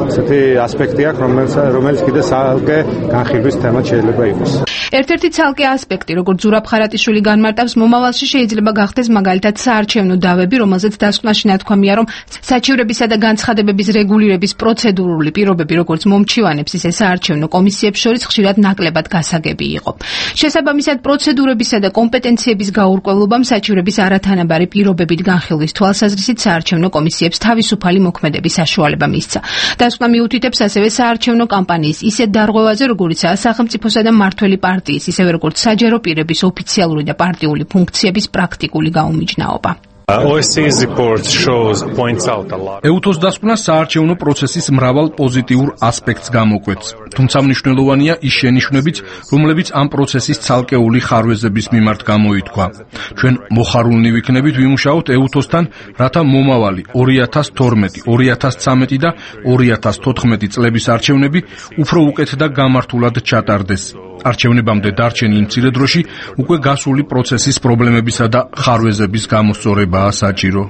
ესეთი ასპექტი აქვს, რომელიც რომელიც კიდე ცალკე განხილვის თემა შეიძლება იყოს. ერთ-ერთი ცალკე ასპექტი, როგორც ზურაბ ხარატიშვილი განმარტავს, მომავალში შეიძლება გახდეს მაგალითად საარჩევნო დავები, რომელზეც დასკვნაში ნათქვამია, რომ საჩივრებისა და განცხადებების რეგულირების პროცედურული პირობები, როგორც მომჩივანებს, ისე საარჩევნო კომისიებს შორის ხშირად ნაკლებად გასაგები იყო. შესაბამისად, პროცედურებისა და კომპეტენციების გაურკვევლობამ საჩივრების არათანაბარი პირობებით განხილვის თვალსაზრისით საარჩევნო კომისიებს თავისუფალი მოქმედების საშუალება მისცა. დასკვნა მიუთითებს ასევე საარჩევნო კამპანიის ისეთ დარღვევაზე, როგორიცაა სახელმწიფოსა და მმართველი პარტიის, ისევე როგორც საჯარო პირების ოფიციალური და პარტიული ფუნქციების პრაქტიკული გაუმიჯნაობა. ეუთოს დასკვნა საარჩევნო პროცესის მრავალ პოზიტიურ ასპექტს გამოკვეთს, თუმცა მნიშვნელოვანია ის შენიშვნებიც, რომლებიც ამ პროცესის ცალკეული ხარვეზების მიმართ გამოითქვა. ჩვენ მოხარულნი ვიქნებით ვიმუშაოთ ეუთოსთან, რათა მომავალი ორი ათას თორმეტი, ორი ათას ცხრამეტი და ორი ათას თოთხმეტი წლების არჩევნები უფრო უკეთ და გამართულად ჩატარდეს. არჩევნებამდე დარჩენი იმ მცირე დროში უკვე გასული პროცესის პრობლემებისა და ხარვეზების გამოსწორებაა საჭირო.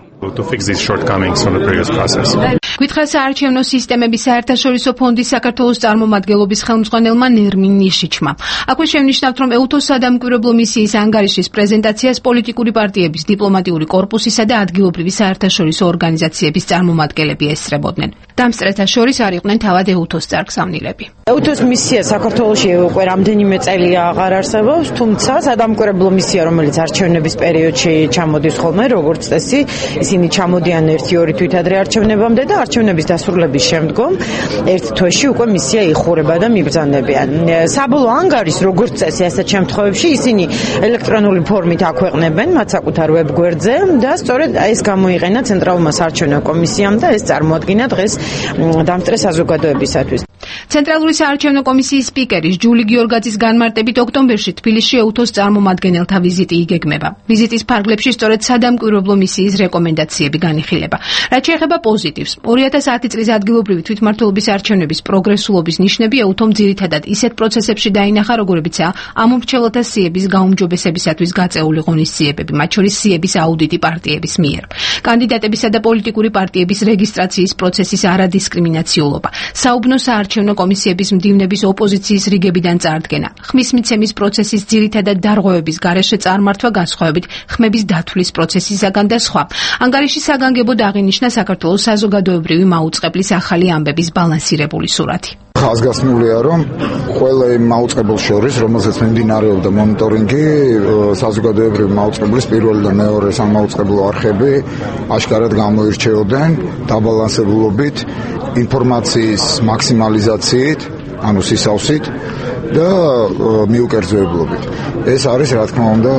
გითხრა საარჩევნო სისტემების საერთაშორისო ფონდის საქართველოს წარმომადგენლობის ხელმძღვანელმა ნერმინ ნიშიჩმა. აქვე შევნიშნავთ, რომ ეუთოს სადამკვირვებლო მისიის ანგარიშის პრეზენტაციას პოლიტიკური პარტიების, დიპლომატიური კორპუსისა და ადგილობრივი საერთაშორისო ორგანიზაციების წარმომადგენლები ესწრებოდნენ. დამსწრეთა შორის არ იყვნენ თავად ეუთოს წარგზავნილები. ეუთოს მისია საქართველოში უკვე რამდენიმე წელია აღარ არსებობს, თუმცა სადამკვირვებლო მისია, რომელიც არჩევნების პერიოდში ჩამოდის ხოლმე, როგორც წესი, ისინი ჩამოდიან ერთი-ორი თვით ადრე არჩევნებამდე და არჩევნების დასრულების შემდგომ ერთ თვეში უკვე მისია იხურება და მიბრძანებიან. საბოლოო ანგარიშს, როგორც წესი, ასეთ შემთხვევებში ისინი ელექტრონული ფორმით აქვეყნებენ მათ საკუთარ ვებგვერდზე და სწორედ ეს გამოიყენა ცენტრალურმა საარჩევნო კომისიამ და ეს წარმოადგინა დღეს დამსწრე საზოგადოებისათვის. ცენტრალური საარჩევნო კომისიის სპიკერის ჯული გიორგაძის განმარტებით ოქტომბერში თბილისში ეუთოს წარმომადგენელთა ვიზიტი იგეგმება. ვიზიტის ფარგლებში სწორედ სადამკვირვებლო მისიის რეკომენდაციები განიხილება. რაც შეეხება პოზიტივს, ორი ათას ათი წლის ადგილობრივი თვითმმართველობის არჩევნების პროგრესულობის ნიშნები ეუთომ ძირითადად ისეთ პროცესებში დაინახა, როგორებიცაა ამომრჩეველთა სიების გაუმჯობესებისათვის გაწეული ღონისძიებები, მათ შორის სიების აუდიტი პარტიების მიერ. კანდიდატებისა და პოლიტიკური პარტიების რეგისტრაციის პროცესის არადისკრიმინაციულობა, საუბნო საარჩევნო კომისიების მდივნების ოპოზიციის რიგებიდან წარდგენა, ხმის მიცემის პროცესის ძირითადად დარღვევების გარეშე წარმართვა განსხვავებით ხმების დათვლის პროცესისაგან და სხვა. ანგარიში საგანგებოდ აღინიშნა საქართველოს საზოგადოებრივი მაუწყებლის ახალი ამბების ბალანსირებული სურათი. ხაზგასმულია, რომ ყველა იმ მაუწყებელს შორის, რომელზეც მიმდინარეობდა მონიტორინგი, საზოგადოებრივი მაუწყებლის პირველი და მეორე სამაუწყებლო არხები აშკარად გამოირჩეოდნენ დაბალანსებულობით, ინფორმაციის მაქსიმალიზაციით, ანუ სისავსით და მიუკერძოებლობით. ეს არის, რა თქმა უნდა,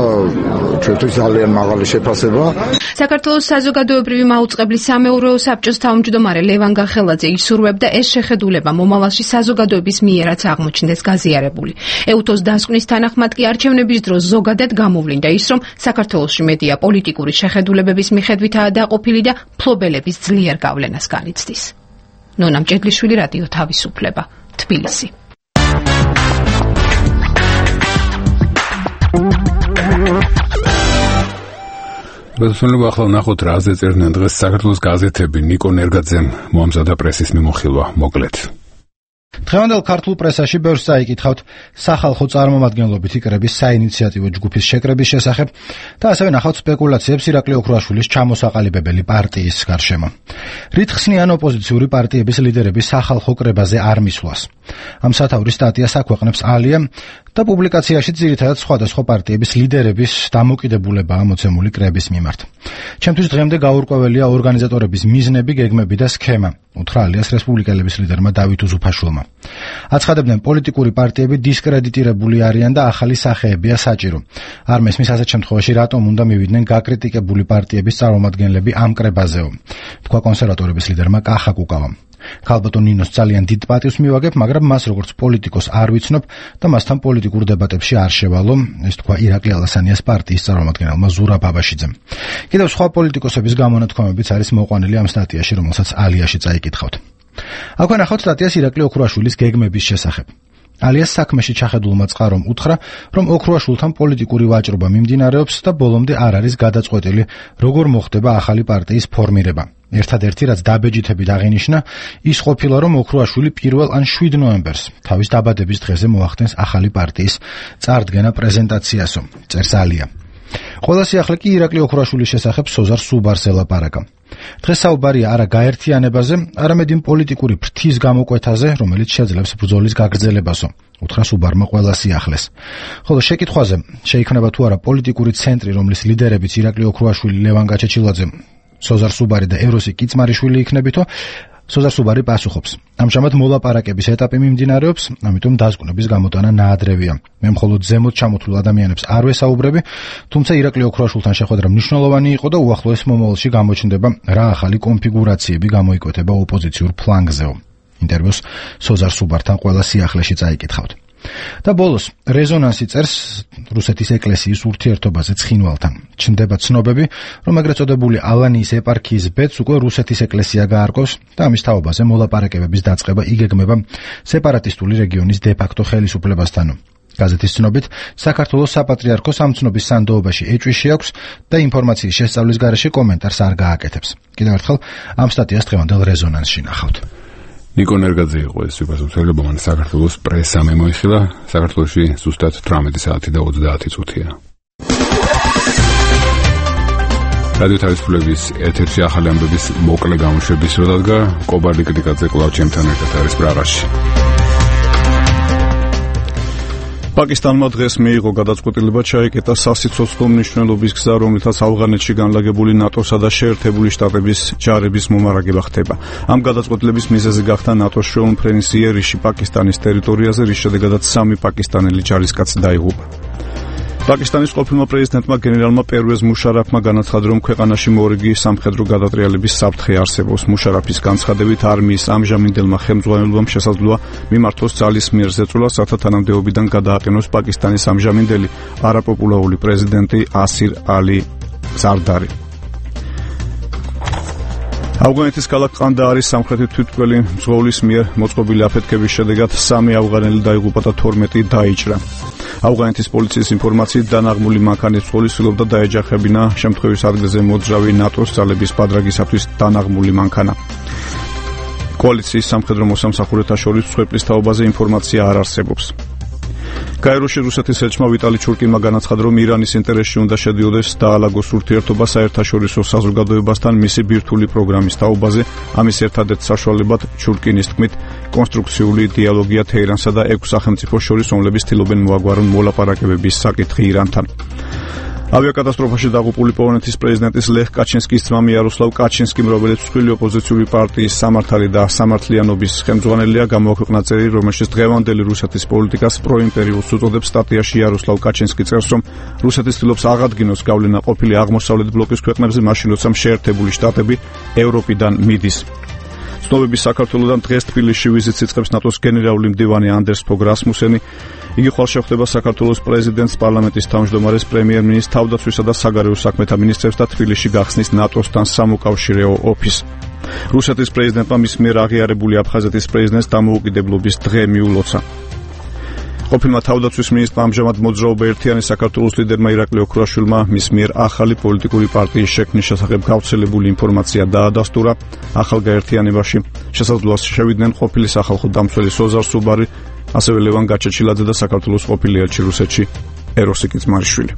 ჩვენთვის ძალიან მაღალი შეფასება. საქართველოს საზოგადოებრივი მაუწყებლის სამეურვეო საბჭოს თავმჯდომარე ლევან გახელაძე ისურვებდა ეს შეხედულება მომავალში საზოგადოების მიერაც აღმოჩნდეს გაზიარებული. ეუთოს დასკვნის თანახმად კი არჩევნების დროს ზოგადად გამოვლინდა ის, რომ საქართველოში მედია პოლიტიკური შეხედულებების მიხედვითაა დაყოფილი და მფლობელების ძლიერ გავლენას განიცდის. ნონა მჭედლიშვილი, რადიო თავისუფლება, თბილისი. ბედოსნელობა ახლა ნახოთ რაზე წერდნენ დღეს საქართველოს გაზეთები. ნიკო ნერგაძემ მოამზადა პრესის მიმოხილვა, მოკლედ. დღევანდელ ქართულ პრესაში ბევრს წაიკითხავთ სახალხო წარმომადგენლობითი კრების საინიციატივო ჯგუფის შეკრების შესახებ და ასევე ნახავთ სპეკულაციებს ირაკლი ოქრუაშვილის ჩამოსაყალიბებელი პარტიის გარშემო. რით ხსნიან ოპოზიციური პარტიების ლიდერების სახალხო კრებაზე არ მისვლას. ამ სათაურის სტატიას აქვეყნებს ალია და პუბლიკაციაში ძირითადად სხვადასხვა პარტიების ლიდერების დამოკიდებულებაა მოცემული კრების მიმართ. ჩემთვის დღემდე გაურკვეველია ორგანიზატორების მიზნები, გეგმები და სქემა, უთხრა ალიას რესპუბლიკელების ლიდერმა დავით უზუფაშვილმა. აცხადებდნენ, პოლიტიკური პარტიები დისკრედიტირებული არიან და ახალი სახეებია საჭირო. არ მესმის ასეთ შემთხვევაში რატომ უნდა მივიდნენ გაკრიტიკებული პარტიების წარმომადგენლები ამ კრებაზეო, თქვა კონსერვატორების ლიდერმა კახა კუკავამ. ქალბატონ ნინოს ძალიან დიდ პატივს მივაგებ, მაგრამ მას როგორც პოლიტიკოს არ ვიცნობ და მასთან პოლიტიკურ დებატებში არ შევალო, ეს თქვა ირაკლი ალასანიას პარტიის წარმომადგენელმა ზურა ბაბაშიძემ. კიდევ სხვა პოლიტიკოსების გამონათქვამებიც არის მოყვანილი ამ სტატიაში, რომელსაც ალიაში წაიკითხავთ. აქვე ნახავთ სტატიას ირაკლი ოქრუაშვილის გეგმების შესახებ. ალიას საქმეში ჩახედულმა წყარომ უთხრა, რომ ოქრუაშვილთან პოლიტიკური ვაჭრობა მიმდინარეობს და ბოლომდე არ არის გადაწყვეტილი, როგორ მოხდება ახალი პარტიის ფორმირება. ერთადერთი, რაც დაბეჯითებით აღინიშნა, ის ყოფილა, რომ ოქრუაშვილი პირველ ან შვიდ ნოემბერს თავის დაბადების დღეზე მოახდენს ახალი პარტიის წარდგენა პრეზენტაციასო, წერს ალია. ყველა სიახლე კი ირაკლი ოქრუაშვილის შესახებ სოზარ სუბარს ელაპარაკა. დღეს საუბარია არა გაერთიანებაზე, არამედ იმ პოლიტიკური ფრთის გამოკვეთაზე, რომელიც შეძლებს ბრძოლის გაგრძელებასო, უთხრა სუბარმა ყველა სიახლეს. ხოლო შეკითხვაზე, შეიქმნება თუ არა პოლიტიკური ცენტრი, რომლის ლიდერებიც ირაკლი ოქრუაშვილი, ლევან გაჩეჩილაძე, სოზარ სუბარი და ეროსი კიცმარიშვილი იქნებითო, სოზარ სუბარი პასუხობს. ამჟამად მოლაპარაკების ეტაპი მიმდინარეობს, ამიტომ დაზგუნების გამოტანა ნაადრევია. მე მხოლოდ ზემოთ ჩამოთვლილ ადამიანებს არ ვესაუბრები, თუმცა ირაკლი ოქროაშვილთან შეხვედრა მნიშვნელოვანი იყო და უახლოეს მომავალში გამოჩნდება რა ახალი კონფიგურაციები გამოიკვეთება ოპოზიციურ ფლანგზეო. ინტერვიუს სოზარ სუბართან ყველა სიახლეში წაიკითხავთ. და ბოლოს რეზონანსი წერს რუსეთის ეკლესიის ურთიერთობაზე ცხინვალთან. ჩნდება ცნობები, რომ ეგრეთ წოდებული ალანიის ეპარქიის ბედს უკვე რუსეთის ეკლესია გაარკვევს და ამის თაობაზე მოლაპარაკებების დაწყება იგეგმება სეპარატისტული რეგიონის დე-ფაქტო ხელისუფლებასთან. გაზეთის ცნობით, საქართველოს საპატრიარქოს ამ ცნობის სანდოობაში ეჭვი აქვს და ინფორმაციის შესწავლის გარეშე კომენტარს არ გააკეთებს. კიდევ ერთხელ ამ სტატიას დღევანდელ რეზონანსში ნახავთ. ნიკო ნერგაძე იყო ეს უპასუხებელი, მან საქართველოს პრესამ მოიხილა, საქართველოში ზუსტად თვრამეტი საათი და ოცდაათი წუთია. რადიო თავისუფლების ეთერში ახალი ამბების მოკლე გამოშვების დრო დადგა, კობარდი კრიკაძე კვლავ ჩემთან ერთად არის პრაღაში. პაკისტანმა დღეს მიიღო გადაწყვეტილება ჩაეკეტა სასიცოცხლო მნიშვნელობის გზა, რომლითაც ავღანეთში განლაგებული ნატოსა და შეერთებული შტატების ჯარების მომარაგება ხდება. ამ გადაწყვეტილების მიზეზი გახდა ნატოს შრომფრენის იერიში პაკისტანის ტერიტორიაზე, რის შედეგადაც სამი პაკისტანელი ჯარისკაცი დაიღუპა. პაკისტანის ყოფილმა პრეზიდენტმა გენერალმა პერვეზ მუშარაფმა განაცხადა, რომ ქვეყანაში მორიგი სამხედრო გადატრიალების საფრთხე არსებობს. მუშარაფის განცხადებით, არმიის ამჟამინდელმა ხელმძღვანელობამ შესაძლოა მიმართოს ძალის მიერ ზეწოლა, რათა თანამდებობიდან გადააყენოს პაკისტანის ამჟამინდელი არაპოპულარული პრეზიდენტი ასირ ალი ზარდარი. ავღანეთის ქალაქ ყანდაარის სამხრეთით თვითმკვლელი მძღოლის მიერ მოწყობილი აფეთქების შედეგად სამი ავღანელი დაიღუპა და თორმეტი დაიჭრა. ავღანეთის პოლიციის ინფორმაციით დანაღმული მანქანის მძღოლი ცდილობდა დაეჯახებინა შემთხვევის ადგილზე მოძრავი ნატოს ძალების ბადრაგისათვის დანაღმული მანქანა. კოალიციის სამხედრო მოსამსახურეთა შორის მსხვერპლის თაობაზე ინფორმაცია არ არსებობს. კაიროში რუსეთის ელჩმა ვიტალი ჩურკინმა განაცხადა, რომ ირანის ინტერესში უნდა შედიოდეს დაალაგოს ურთიერთობა საერთაშორისო საზოგადოებასთან მისი ბირთვული პროგრამის თაობაზე. ამის ერთადერთ საშუალებად ჩურკინის თქმით კონსტრუქციული დიალოგია თეირანსა და ექვს სახელმწიფოს შორის, რომლებიც ცდილობენ მოაგვარონ მოლაპარაკებების საკითხი ირანთან. ავიაკატასტროფაში დაღუპული პოლონეთის პრეზიდენტის ლეხ კაჩინსკის ძმა მიაროსლავ კაჩინსკიმ, რომელიც მსხვილი ოპოზიციური პარტიის სამართალი და სამართლიანობის ხელმძღვანელია, გამოაქვეყნა წერილი, რომელშიც დღევანდელი რუსეთის პოლიტიკას პროიმპერიულს უწოდებს. სტატიაში იაროსლავ კაჩინსკი წერს, რომ რუსეთი ცდილობს აღადგინოს გავლენა ყოფილი აღმოსავლეთ ბლოკის ქვეყნებზე, მაშინ როცა შეერთებული შტატები ევროპიდან მიდის. ცნობების საქართველოსთან დღეს თბილისში ვიზიტს იწყებს ნატოს გენერალური მდივანი ანდერს ფოგ რასმუსენი. იგი ხვალ შეხვდება საქართველოს პრეზიდენტს, პარლამენტის თავმჯდომარეს, პრემიერ-მინისტრს, თავდაცვისა და საგარეო საქმეთა მინისტრებს და თბილისში გახსნის ნატოსთან სამოკავშირეო ოფისს. რუსეთის პრეზიდენტმა მის მიერ აღიარებული აფხაზეთის პრეზიდენტს დამოუკიდებლობის დღე მიულოცა. ყოფილმა თავდაცვის მინისტრმა ამჟამად მოძრაობა ერთიანი საქართველოს ლიდერმა ირაკლი ოქროაშვილმა მის მიერ ახალი პოლიტიკური პარტიის შექმნის შესახებ გავრცელებული ინფორმაცია დაადასტურა. ახალ გაერთიანებაში შესაძლოა შევიდნენ ყოფილი სახალხო დამცველი სოზარ სუბარი, ასევე ლევან გაჩეჩილაძე და საქართველოს ყოფილი ელჩი რუსეთში ეროსიკი ძმარიშვილი.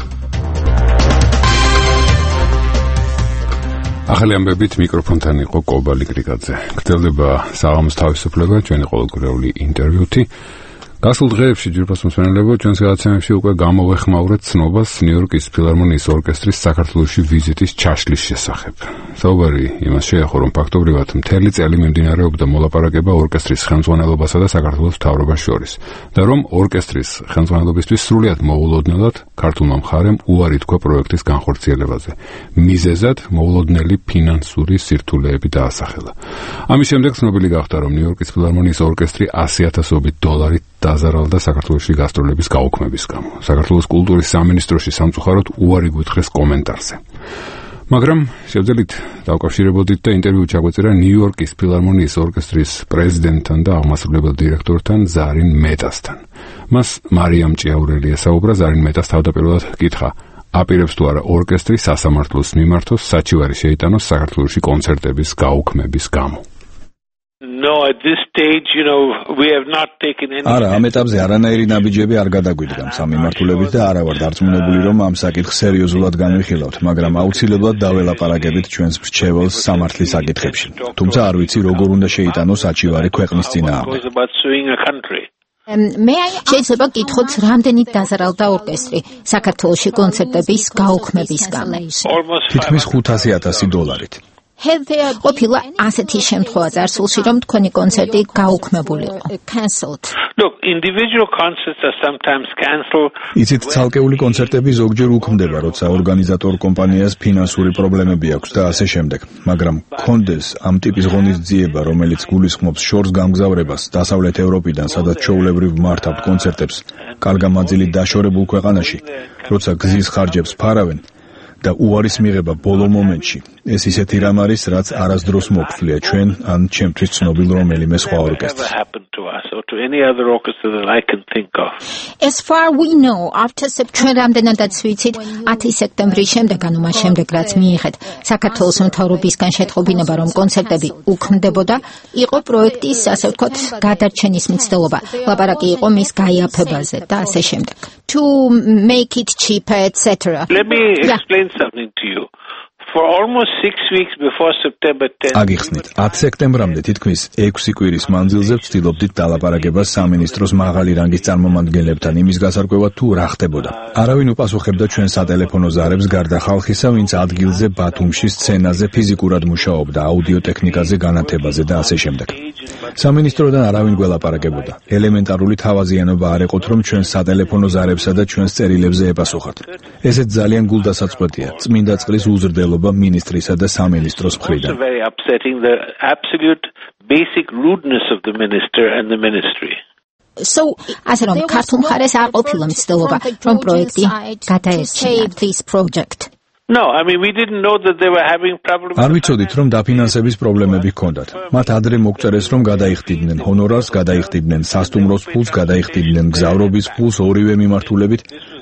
ახალი ამბებით მიკროფონთან იყო კობალი კრიკაძე. გრძელდება საღამოს თავისუფლება, ჩვენი ყოველკვირეული ინტერვიუთი. გასულ დღეებში ჯგუფის მოსმენელებო ჩვენს გადაცემებში უკვე გამოვეხმაურეთ ცნობას ნიუ-იორკის ფილარმონიის ორკესტრის საქართველოში ვიზიტის ჩაშლის შესახებ. საუბარი იმას შეეხო, რომ ფაქტობრივად მთელი წელი მიმდინარეობდა მოლაპარაკება ორკესტრის ხელმძღვანელობასა და საქართველოს მთავრობას შორის და რომ ორკესტრის ხელმძღვანელობისთვის სრულიად მოულოდნელად ქართულმა მხარემ უარი თქვა პროექტის განხორციელებაზე. მიზეზად მოულოდნელი ფინანსური სირთულეები დაასახელა. ამის შემდეგ ცნობილი გახდა, რომ ნიუ-იორკის ფილარმონიის ორკესტრი ასი ათასობით დოლარით დაზარალდა საქართველოში გასტროლების გაუქმების გამო. საქართველოს კულტურის სამინისტროში სამწუხაროდ უარი გვითხრეს კომენტარზე. მაგრამ შევძელით დავკავშირებოდით და ინტერვიუ ჩაგვეწერა ნიუ-იორკის ფილარმონიის ორკესტრის პრეზიდენტთან და აღმასრულებელ დირექტორთან ზარინ მეტასთან. მას მარიამ ჭიაურელი ესაუბრა. ზარინ მეტას თავდაპირველად კითხა, აპირებს თუ არა ორკესტრი სასამართლოს მიმართოს საჩივარი შეიტანოს საქართველოში კონცერტების გაუქმების გამო. No, at this stage, you know, we have not taken any. არა, ამ ეტაპზე არანაირი ნაბიჯები არ გადაგვიდგა სამიმართულებით და არა ვარ დარწმუნებული, რომ ამ საკითხს სერიოზულად განვიხილავთ, მაგრამ აუცილებლად დაველაპარაკებით ჩვენს მრჩეველს სამართლის საკითხებში. თუმცა არ ვიცი, როგორ უნდა შეიტანოს საჩივარი ქვეყნის წინააღმდეგ. შეიძლება გითხოთ, რამდენით დაზარალდა ორკესტრი საქართველოში კონცერტების გაუქმების გამო? თითქმის ხუთასი ათასი დოლარით. ყოფილა ასეთი შემთხვევა წარსულში, რომ თქვენი კონცერტი გაუქმებულიყო. Look, individual concerts are sometimes cancelled. იცით, ცალკეული კონცერტები ზოგჯერ უქმდება, როცა ორგანიზატორ კომპანიას ფინანსური პრობლემები აქვს და ასე შემდეგ. მაგრამ კონდეს ამ ტიპის ღონისძიება, რომელიც გულისხმობს შორს გამგზავრებას დასავლეთ ევროპიდან, სადაც ჩვეულებრივ მართავთ კონცერტებს, კარგამაძილით დაშორებულ ქვეყანაში, როცა გზის ხარჯებს ფარავენ და უარის მიღება ბოლო მომენტში. ეს ისეთი რამ არის, რაც არასდროს მოგწვია ჩვენ ან ჩემთვის ცნობილ რომელიმე სხვა ორკესტრს. As far we know, after September რამდენადაც ვიცით, ათი სექტემბრის შემდეგ, ანუ მას შემდეგ, რაც მიიღეთ საქართველოს მთავრობისგან შეტყობინება, რომ კონცერტები უქმდებოდა, იყო პროექტის, ასე ვთქვათ, გადარჩენის მცდელობა. ლაპარაკი იყო მის გაიაფებაზე და ასე შემდეგ. To make it cheaper, et cetera. Let me explain yeah. something to you. For almost six weeks before September tenth. აგიხსნით, ათი სექტემბრამდე თითქმის ექვსი კვირის მანძილზე ვცდილობდით დალაპარაკებას სამინისტროს მაღალი რანგის წარმომადგენლებთან იმის გასარკვევად თუ რა ხდებოდა. არავინ უპასუხებდა ჩვენ სატელეფონო ზარებს გარდა ხალხისა, ვინც ადგილზე ბათუმში სცენაზე ფიზიკურად მუშაობდა, აუდიოტექნიკაზე, განათებაზე და ასე შემდეგ. სამინისტროდან არავინ გველაპარაკებოდა. ელემენტარული თავაზიანობა არ ეყოთ, რომ ჩვენ სატელეფონო ზარებსა და ჩვენს წერილებზე ეპასუხათ. ესეც ძალიან გულდასაწყვეტია. წმინდა წყლის უზრდელობა ministrისა და სამინისტროს მხრიდან. Very upsetting, the absolute basic rudeness of the minister and the ministry. So, ასე რომ ქართულ მხარეს არ ყოფილა მცდელობა, რომ პროექტი გადაერჩინა this project. No, I mean we didn't know that they were having problems. არ ვიცოდით, რომ დაფინანსების პრობლემები ჰქონდათ. მათ ადრე მოგწერეს, რომ გადაიხდიდნენ ჰონორარს, გადაიხდიდნენ სასტუმროს ფულს, გადაიხდიდნენ გზავრობის ფულს ორივე მიმართულებით.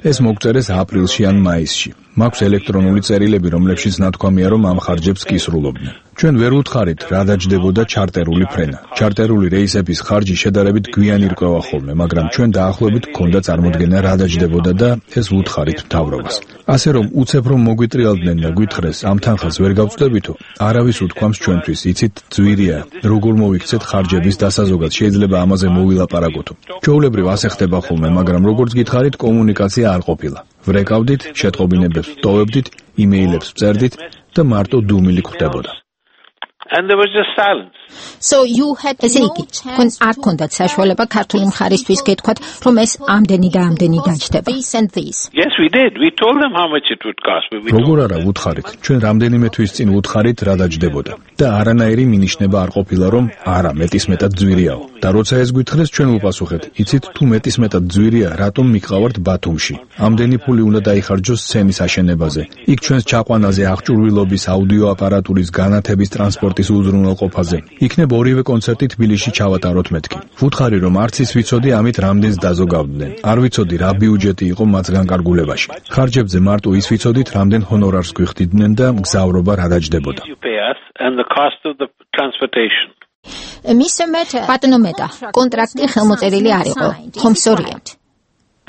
ეს მოგწერეს აპრილში ან მაისში. მაქვს ელექტრონული წერილები, რომლებშიც ნათქვამია, რომ ამ ხარჯებს კისრულობდნენ. ჩვენ ვერ უთხარით, რა დაჯდებოდა ჩარტერული ფრენა. ჩარტერული რეისების ხარჯი შედარებით გვიანი რკვევა ხოლმე, მაგრამ ჩვენ დაახლოებით გქონდა წარმოდგენა, რა დაჯდებოდა და ეს ვუთხარით მთავრობას. ასე რომ უცებ რომ მოგვიტრიალდნენ და გვითხრეს, ამ თანხას ვერ გავწვდებითო, არავის უთქვამს ჩვენთვის, იცით, ძვირია, როგორ მოვიქცეთ ხარჯების დასაზოგად, შეიძლება ამაზე მოვილაპარაკოთო. ჩვეულებრივ ასე ხდება ხოლმე, მაგრამ როგორც გითხარით, კომუნიკაცია არ ყოფილა. ვრეკავდით, შეტყობინებებს ვტოვებდით, იმეილებს ვწერდით და მარტო დუმილი გვხდებოდა. And there was just silence. So you had ესე იგი, თქვენ არ გქონდათ საშუალება ქართული მხარისთვის გეთქვათ, რომ ეს ამდენი და ამდენი დაჯდება. Yes, we did. We told them how much it would cost. როგორ არა ვუთხარით? ჩვენ რამდენიმე თვის წინ ვუთხარით რა დაჯდებოდა. და არანაირი მინიშნება არ ყოფილა, რომ არა, მეტისმეტად ძვირიაო. და როცა ეს გვითხრეს, ჩვენ ვუპასუხეთ, იცით, თუ მეტისმეტად ძვირია, რატომ მიყავართ ბათუმში? ამდენი ფული უნდა დაიხარჯოს სცენის აშენებაზე. იქ ჩვენს ჩაყვანაზე, აღჭურვილობის, აუდიო აპარატურის, განათების, ტრანსპორტის უზრუნველყოფაზე. იქნებ ორივე კონცერტი თბილისში ჩავატაროთ მეთქი. ვუთხარი, რომ არც ის ვიცოდი, ამით რამდენს დაზოგავდნენ. არ ვიცოდი, რა ბიუჯეტი იყო მას განკარგულებაში. ხარჯებზე მარტო ის ვიცოდით, რამდენ ჰონორარს გვიხდიდნენ და მგზავრობა რა დაჯდებოდა. Mister Meta, ბატონო მეტა, კონტრაქტი ხელმოწერილი არ იყო. ხომ სწორია?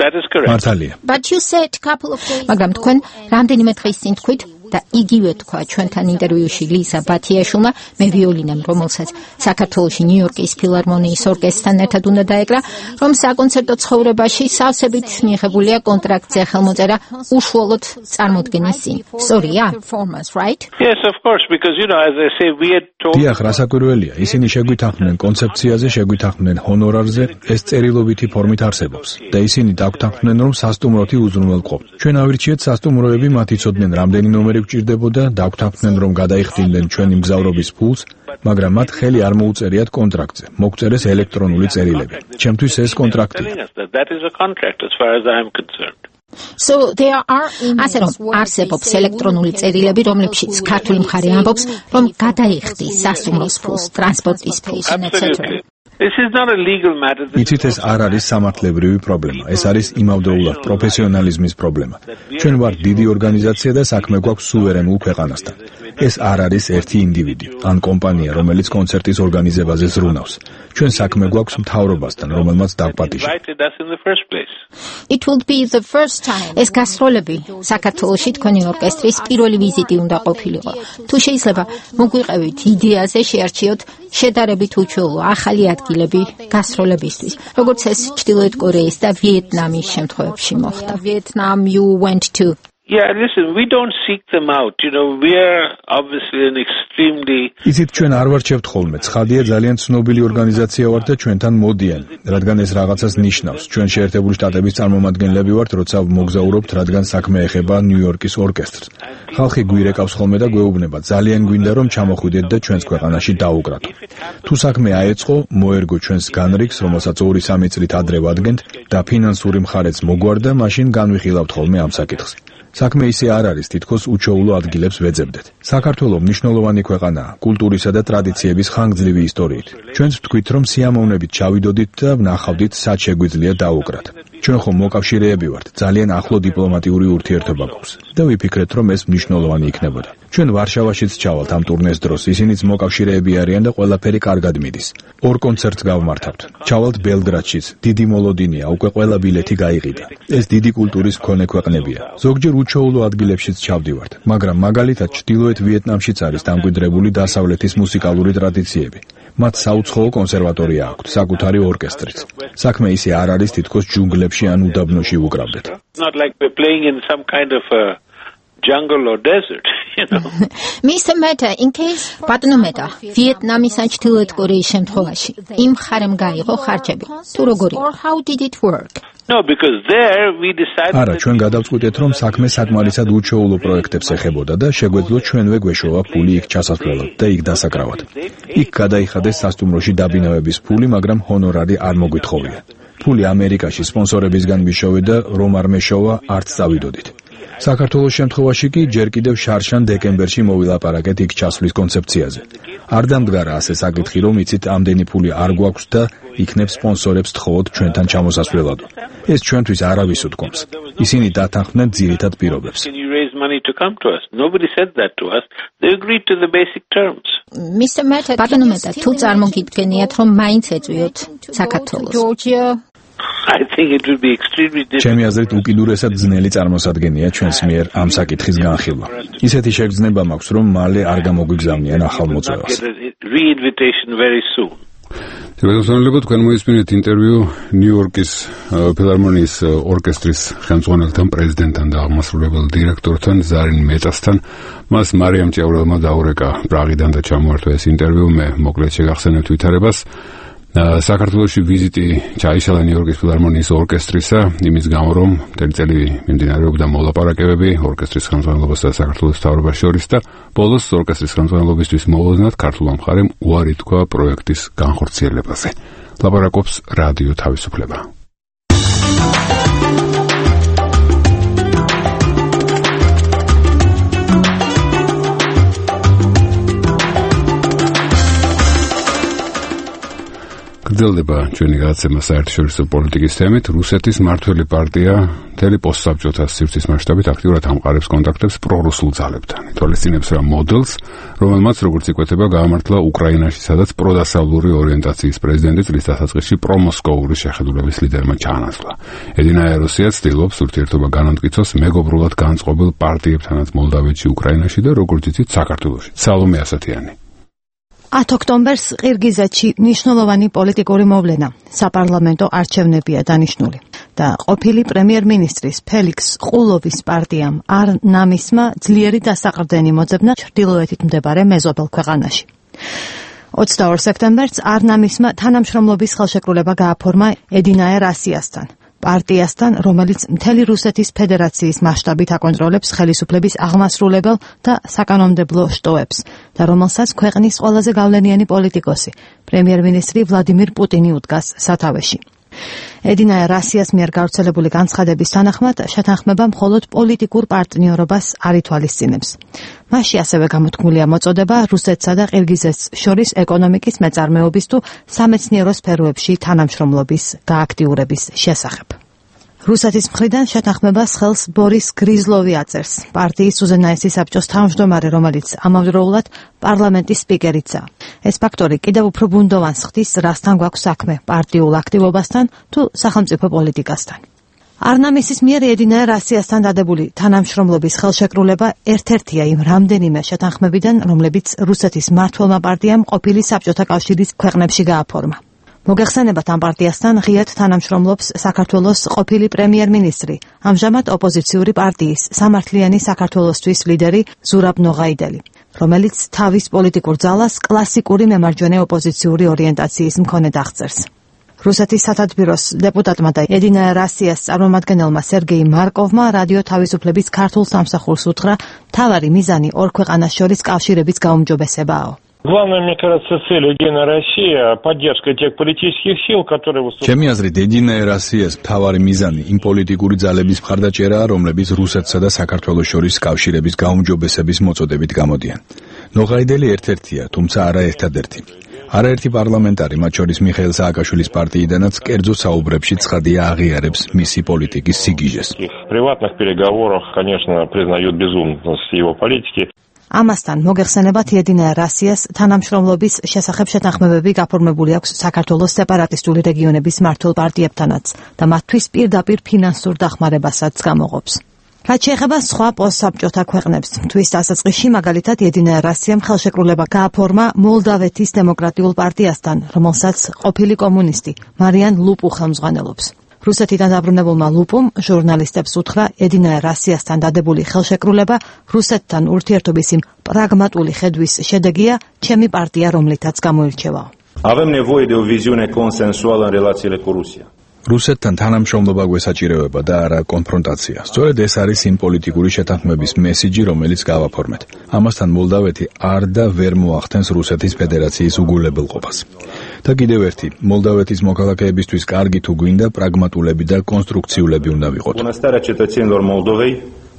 That is correct. მართალია. But you said couple of days. მაგრამ თქვენ რამდენიმე დღის წინ თქვით და იგივე თქვა ჩვენთან ინტერვიუში ლიზა ბათიაშვილმა, მე ვიოლინამ, რომელსაც საქართველოში ნიუ-იორკის ფილარმონიის ორკესტრთან ერთად უნდა დაეკრა, რომ საკონცერტო ცხოვრებაში სავსებით მიღებულია კონტრაქტზე ხელმოწერა უშუალოდ წარმოდგენის წინ. სწორია? Right? Yes, of course, because you know, as I say, we had told. დიახ, რასაკვირველია, ისინი შეგვითანხმდნენ კონცეფციაზე, შეგვითანხმდნენ ჰონორარზე, ეს წერილობითი ფორმით არსებობს და ისინი დაგვთანხმდნენ, რომ სასტუმროთი უზრუნველყოფ. ჩვენ ავირჩიეთ სასტუმროები, მათ იცოდნენ რამდენი ნომერი გვჭირდებოდა, დაგვთანხმდნენ, რომ გადაიხდიდნენ ჩვენი მგზავრობის ფულს, მაგრამ მათ ხელი არ მოუწერიათ კონტრაქტზე. მოგწერეს ელექტრონული წერილები. ჩემთვის ეს კონტრაქტია. That is a contract as far as I am concerned. So there are ასე რომ არსებობს ელექტრონული წერილები, რომლებშიც ქართული მხარე ამბობს, რომ გადაიხდის სასტუმროს ფულს, ტრანსპორტის ფულს, et cetera. This is not a legal matter. იცით, ეს არ არის სამართლებრივი პრობლემა. ეს არის იმავდროულად პროფესიონალიზმის პრობლემა. ჩვენ ვართ დიდი ორგანიზაცია და საქმე გვაქვს სუვერენულ ქვეყანასთან. ეს არ არის ერთი ინდივიდი ან კომპანია, რომელიც კონცერტის ორგანიზებაზე ზრუნავს. ჩვენ საქმე გვაქვს მთავრობასთან, რომელმაც დაგვპატიჟა. It would be the first time. ეს გასტროლები საქართველოში თქვენი ორკესტრის პირველი ვიზიტი უნდა ყოფილიყო. თუ შეიძლება მოგვიყევით იდეაზე შეარჩიოთ შედარებით უჩვეულო ახალი ადგილები გასტროლებისთვის, როგორც ეს ჩრდილოეთ კორეის და ვიეტნამის შემთხვევებში მოხდა. Vietnam you went to. Yeah, listen, we don't seek them out. You know, we are obviously an extremely... იცით, ჩვენ არ ვარჩევთ ხოლმე. ცხადია, ძალიან ცნობილი ორგანიზაცია ვართ და ჩვენთან მოდიან, რადგან ეს რაღაცას ნიშნავს. ჩვენ შეერთებული შტატების წარმომადგენლები ვართ, როცა მოგზაურობთ, რადგან საქმე ეხება ნიუ-იორკის ორკესტრს. ხალხი გვირეკავს ხოლმე და გვეუბნება, ძალიან გვინდა რომ ჩამოხვიდეთ და ჩვენს ქვეყანაში დაუკრატო. თუ საქმე აეწყო, მოერგო ჩვენს განრიგს, რომელსაც ორი სამი წლით ადრე ვადგენთ და ფინანსური მხარეც მოგვარდა, მაშინ განვიხილავთ ხოლმე ამ საკითხს. საქმე ისე არ არის, თითქოს უჩვეულო ადგილებს ვეძებდეთ. საქართველო მნიშვნელოვანი ქვეყანაა, კულტურისა და ტრადიციების ხანგრძლივი ისტორიით. ჩვენც ვთქვით, რომ სიამოვნებით ჩავიდოდით და ვნახავდით, სად შეგვიძლია დაუკრათ. ჩვენ ხომ მოკავშირეები ვართ, ძალიან ახლო დიპლომატიური ურთიერთობა გვაქვს და ვიფიქრეთ, რომ ეს მნიშვნელოვანი იქნებოდა. ჩვენ ვარშავაშიც ჩავალთ ამ ტურნეს დროს, ისინიც მოკავშირეები არიან და ყველაფერი კარგად მიდის. ორ კონცერტს გავმართავთ. ჩავალთ ბელგრადშიც, დიდი მოლოდინია, უკვე ყველა ბილეთი გაიყიდა. ეს დიდი კულტურის მქონე ქვეყნებია. ზოგჯერ უჩვეულო ადგილებშიც ჩავდივართ, მაგრამ მაგალითად ჩრდილოეთ ვიეტნამშიც არის დამკვიდრებული დასავლეთის მუსიკალური ტრადიციები. მათ საუცხოო კონსერვატორია აქვთ, საკუთარი ორკესტრიც. საქმე ისე არ არის, თითქოს ჯუნგლებში ან უდაბნოში უკრავდეთ. Not like we're playing in some kind of a jungle or desert, you know. Mister Meta, in case ბატონო მეტა, ვიეტნამის ან ჩრდილოეთ კორეის შემთხვევაში იმ ხარემ გაიღო ხარჯები. თუ როგორი? Or how did it work? No, because there we decided არა, ჩვენ გადავწყვიტეთ, რომ საქმე საკმარისად უჩვეულო პროექტებს ეხებოდა და შეგვეძლო ჩვენვე გვეშოვა ფული იქ ჩასასვლელად და იქ დასაკრავად. იქ გადაიხადეს სასტუმროში დაბინავების ფული, მაგრამ ჰონორარი არ მოგვითხოვია. ფული ამერიკაში სპონსორებისგან მიშოვე და რომ არ მეშოვა, არც წავიდოდით. საქართველოს შემთხვევაში კი ჯერ კიდევ შარშან დეკემბერში მოვილაპარაკეთ იქ ჩასვლის კონცეფციაზე. არ დამდგარა ასე საკითხი, რომ იცით, ამდენი ფული არ გვაქვს და იქნებ სპონსორებს თხოვოთ ჩვენთან ჩამოსასვლელად. ეს ჩვენთვის არავის უთქვამს. ისინი დათანხმდნენ ძირითად პირობებს. Can you raise money to come to us? Nobody said that to us. They agreed to the basic terms. Mister Meta, ბატონო მეტა, თუ წარმოგიდგენიათ, რომ მაინც ეწვიოთ საქართველოს. Georgia I think it would be extremely difficult. ჩემი აზრით უკიდურესად ძნელი წარმოსადგენია ჩვენს მიერ ამ საკითხის განხილვა. ისეთი შეგრძნება მაქვს, რომ მალე არ გამოგვიგზავნიან ახალ მოწვევას. Re-invitation very soon. შეგრძნებოდა თქვენ მოისმინეთ ინტერვიუ ნიუ-იორკის ფილარმონიის ორკესტრის ხელმძღვანელთან, პრეზიდენტთან და აღმასრულებელ დირექტორთან ზარინ მეტასთან. მას მარიამ ჭიაურელმა დაურეკა პრაღიდან და ჩამოართვა ეს ინტერვიუ. მე მოკლედ შეგახსენებთ ვითარებას. საქართველოში ვიზიტი ჩაიშალა ნიუ-იორკის ფილარმონიის ორკესტრისა, იმის გამო რომ მთელი წელი მიმდინარეობდა მოლაპარაკებები ორკესტრის ხელმძღვანელობასა და საქართველოს მთავრობას შორის და ბოლოს ორკესტრის ხელმძღვანელობისთვის მოულოდნელად ქართულმა მხარემ უარი თქვა პროექტის განხორციელებაზე. ლაპარაკობს რადიო თავისუფლება. გრძელდება ჩვენი გადაცემა საერთაშორისო პოლიტიკის თემით. რუსეთის მმართველი პარტია მთელი პოსტსაბჭოთა სივრცის მასშტაბით აქტიურად ამყარებს კონტაქტებს პრორუსულ ძალებთან. ითვალისწინებს რა მოდელს, რომელმაც როგორც იკვეთება, გაამართლა უკრაინაში, სადაც პროდასავლური ორიენტაციის პრეზიდენტი წლის დასაწყისში პრომოსკოვური შეხედულების ლიდერმა ჩაანაცვლა. ედინა ეროსია ცდილობს ურთიერთობა განამტკიცოს მეგობრულად განწყობილ პარტიებთანაც მოლდავეთში, უკრაინაში და როგორც იცით, საქართველოში. სალომე ასათიანი. ათ ოქტომბერს ყირგიზეთში მნიშვნელოვანი პოლიტიკური მოვლენა, საპარლამენტო არჩევნებია დანიშნული და ყოფილი პრემიერ-მინისტრის ფელიქს ყულოვის პარტიამ არ-ნამისმა ძლიერი დასაყრდენი მოძებნა ჩრდილოეთით მდებარე მეზობელ ქვეყანაში. ოცდაორ სექტემბერს არ-ნამისმა თანამშრომლობის ხელშეკრულება გააფორმა ედინაერ ასიასთან, პარტიასთან, რომელიც მთელი რუსეთის ფედერაციის მასშტაბით აკონტროლებს ხელისუფლების აღმასრულებელ და საკანონმდებლო შტოებს და რომელსაც ქვეყნის ყველაზე გავლენიანი პოლიტიკოსი, პრემიერ-მინისტრი ვლადიმირ პუტინი უდგას სათავეში. ედინაერ ასიას მიერ გავრცელებული განცხადების თანახმად, შეთანხმება მხოლოდ პოლიტიკურ პარტნიორობას არ ითვალისწინებს. მასში ასევე გამოთქმულია მოწოდება რუსეთსა და ყირგიზეთს შორის ეკონომიკის მეწარმეობის თუ სამეცნიერო სფეროებში თანამშრომლობის გააქტიურების შესახებ. რუსეთის მხრიდან შეთანხმებას ხელს ბორის გრიზლოვი აწერს, პარტიის უზენაესი საბჭოს თავმჯდომარე, რომელიც ამავდროულად პარლამენტის სპიკერიცაა. ეს ფაქტორი კიდევ უფრო ბუნდოვანს ხდის, რასთან გვაქვს საქმე, პარტიულ აქტივობასთან თუ სახელმწიფო პოლიტიკასთან. არ-ნამისის მიერ ედინაერ ასიასთან დადებული თანამშრომლობის ხელშეკრულება ერთ-ერთია იმ რამდენიმე შეთანხმებიდან, რომლებიც რუსეთის მმართველმა პარტიამ ყოფილი საბჭოთა კავშირის ქვეყნებში გააფორმა. მოგეხსენებათ, ამ პარტიასთან ღიად თანამშრომლობს საქართველოს ყოფილი პრემიერ-მინისტრი, ამჟამად ოპოზიციური პარტიის სამართლიანი საქართველოსთვის ლიდერი ზურაბ ნოღაიდელი, რომელიც თავის პოლიტიკურ ძალას კლასიკური მემარჯვენე ოპოზიციური ორიენტაციის მქონედ აღწერს. რუსეთის სათათბიროს დეპუტატმა და ედინა რასიას წარმომადგენელმა სერგეი მარკოვმა რადიო თავისუფლების ქართულ სამსახურს უთხრა, მთავარი მიზანი ორ ქვეყანას შორის კავშირების გაუმჯობესებაა. Главная, мне кажется, цель Единой России – поддержка тех политических сил, которые выступают. ჩემი აზრით, ედინა რასიას მთავარი მიზანი იმ პოლიტიკური ძალების მხარდაჭერაა, რომლებიც რუსეთსა და საქართველოს შორის კავშირების გაუმჯობესების მოწოდებით გამოდიან. ნოღაიდელი ერთ-ერთია, თუმცა არა ერთადერთი. არაერთი პარლამენტარი, მათ შორის მიხეილ სააკაშვილის პარტიიდანაც კერძო საუბრებში ცხადია აღიარებს მისი პოლიტიკის სიგიჟეს. В приватных переговорах, конечно, признают безумность его политики. ამასთან მოგეხსენებათ, ედინა რასიას თანამშრომლობის შესახებ შეთანხმებები გაფორმებული აქვს საქართველოს სეპარატისტული რეგიონების მმართველ პარტიებთანაც და მათთვის პირდაპირ ფინანსურ დახმარებასაც გამოღობს. რაც შეეხება სხვა პოსტსაბჭოთა ქვეყნებს, თვის დასაწყისში მაგალითად ედინა რასიამ ხელშეკრულება გააფორმა მოლდავეთის დემოკრატიულ პარტიასთან, რომელსაც ყოფილი კომუნისტი მარიან ლუპუ ხელმძღვანელობს. რუსეთიდან დაბრუნებულმა ლუპუმ ჟურნალისტებს უთხრა, ედინა რასიასთან დადებული ხელშეკრულება რუსეთთან ურთიერთობის იმ პრაგმატული ხედვის შედეგია, ჩემი პარტია რომლითაც გამოირჩევა. Avem nevoie de o viziune consensuală în relațiile cu Rusia. რუსეთთან თანამშრომლობა გვესაჭიროება და არა კონფრონტაცია. სწორედ ეს არის იმ პოლიტიკური შეთანხმების მესიჯი, რომელიც გავაფორმეთ. ამასთან მოლდავეთი არ და ვერ მოახდენს რუსეთის ფედერაციის უგულებელყოფას. და კიდევ ერთი, მოლდავეთის მოქალაქეებისთვის კარგი თუ გვინდა, პრაგმატულები და კონსტრუქციულები უნდა ვიყოთ. Bunăstarea cetățenilor Moldovei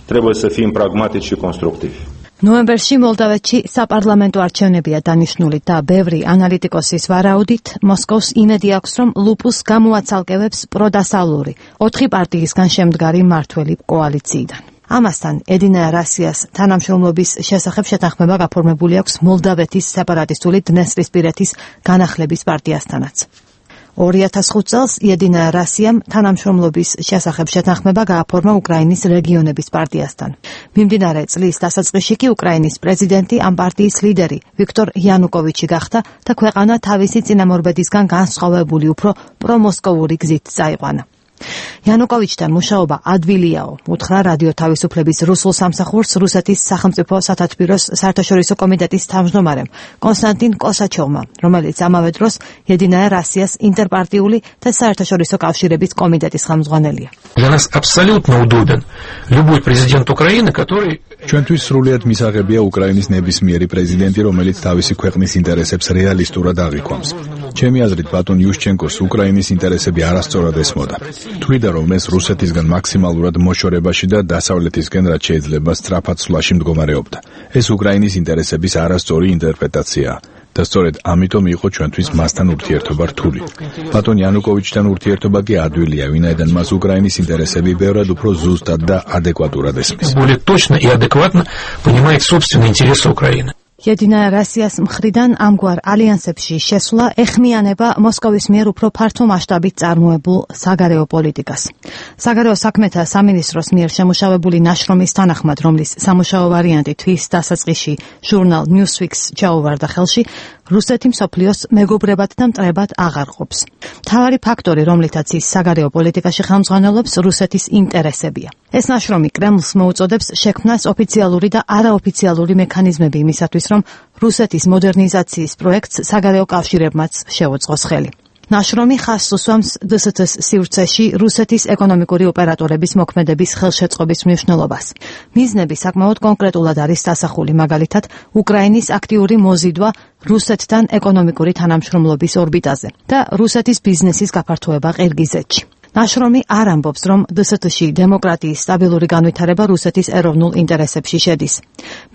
trebuie să fim pragmatici și constructivi. ნოემბერში მოლდავეთში საპარლამენტო არჩევნებია დანიშნული და ბევრი ანალიტიკოსის ვარაუდით მოსკოვს იმედი აქვს, რომ ლუპუს გამოაცალკევებს პროდასავლური ოთხი პარტიისგან შემდგარი მმართველი კოალიციიდან. ამასთან ედინა რასიას თანამშრომლობის შესახებ შეთანხმება გაფორმებული აქვს მოლდავეთის სეპარატისტული დნესტრისპირეთის განახლების პარტიასთანაც. ორი ათას ხუთ წელს ედინა რასიამ თანამშრომლობის შესახებ შეთანხმება გააფორმა უკრაინის რეგიონების პარტიასთან. მიმდინარე წლის დასაწყისში კი უკრაინის პრეზიდენტი ამ პარტიის ლიდერი ვიქტორ იანუკოვიჩი გახდა და ქვეყანა თავისი წინამორბედისგან განსხვავებული უფრო პრომოსკოვური გზით წაიყვანა. იანუკოვიჩთან მუშაობა ადვილიაო, უთხრა რადიო თავისუფლების რუსულ სამსახურს რუსეთის სახელმწიფო სათათბიროს საერთაშორისო კომიტეტის თავმჯდომარემ კონსტანტინ კოსაჩოვმა, რომელიც ამავე დროს ედინა რასიას ინტერპარტიული და საერთაშორისო კავშირების კომიტეტის ხელმძღვანელია. Для нас абсолютно удобен любой президент Украины, который ჩვენთვის სრულიად მისაღებია უკრაინის ნებისმიერი პრეზიდენტი, რომელიც თავისი ქვეყნის ინტერესებს რეალისტურად აღიქვამს. ჩემი აზრით, ბატონ იუშჩენკოს უკრაინის ინტერესები არასწორად ესმოდა. თვლიდა, რომ ეს რუსეთისგან მაქსიმალურად მოშორებაში და დასავლეთისგან რაც შეიძლება სწრაფად სვლაში მდგომარეობდა. ეს უკრაინის ინტერესების არასწორი ინტერპრეტაციაა. და სწორედ ამიტომ იყო ჩვენთვის მასთან ურთიერთობა რთული. ბატონ იანუკოვიჩთან ურთიერთობა კი ადვილია, ვინაიდან მას უკრაინის ინტერესები ბევრად უფრო ზუსტად და ადეკვატურად ესმის. более точно и адекватно понимает собственные интересы Украины. ედინა რასიას მხრიდან ამგვარ ალიანსებში შესვლა ეხმიანება მოსკოვის მიერ უფრო ფართო მასშტაბით წარმოებულ საგარეო პოლიტიკას. საგარეო საქმეთა სამინისტროს მიერ შემუშავებული ნაშრომის თანახმად, რომლის სამუშაო ვარიანტი თვის დასაწყისში ჟურნალ Newsweek-ს ჩაუვარდა ხელში, რუსეთი მსოფლიოს მეგობრებად და მტრებად აღარ ყოფს. მთავარი ფაქტორი, რომლითაც ის საგარეო პოლიტიკაში ხელმძღვანელობს, რუსეთის ინტერესებია. ეს ნაშრომი კრემლს მოუწოდებს შექმნას ოფიციალური და არაოფიციალური მექანიზმები იმისათვის, რომ რუსეთის მოდერნიზაციის პროექტს საგარეო კავშირებმაც შეუწყოს ხელი. ნაშრომი ხაზს უსვამს დე ეს თ-ს სივრცეში რუსეთის ეკონომიკური ოპერატორების მოქმედების ხელშეწყობის მნიშვნელობას. მიზნები საკმაოდ კონკრეტულად არის დასახული, მაგალითად, უკრაინის აქტიური მოზიდვა რუსეთთან ეკონომიკური თანამშრომლობის ორბიტაზე და რუსეთის ბიზნესის გაფართოება ყირგიზეთში. ნაშრომი არ ამბობს, რომ დე ეს თ-ში დემოკრატიის სტაბილური განვითარება რუსეთის ეროვნულ ინტერესებში შედის.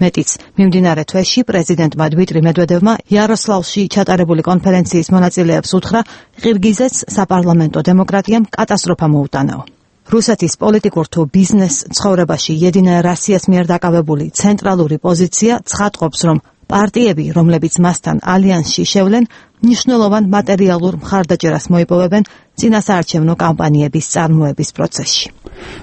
მეტიც, მიმდინარე თვეში პრეზიდენტმა დმიტრი მედვედევმა იაროსლავში ჩატარებული კონფერენციის მონაწილეებს უთხრა, ყირგიზეთს საპარლამენტო დემოკრატიამ კატასტროფა მოუტანაო. რუსეთის პოლიტიკურ თუ ბიზნეს ცხოვრებაში ედინა რასიას მიერ დაკავებული ცენტრალური პოზიცია ცხადყოფს, რომ პარტიები, რომლებიც მასთან ალიანსში შევლენ, მნიშვნელოვან მატერიალურ მხარდაჭერას მოიპოვებენ წინასაარჩევნო კამპანიების წარმოების პროცესში.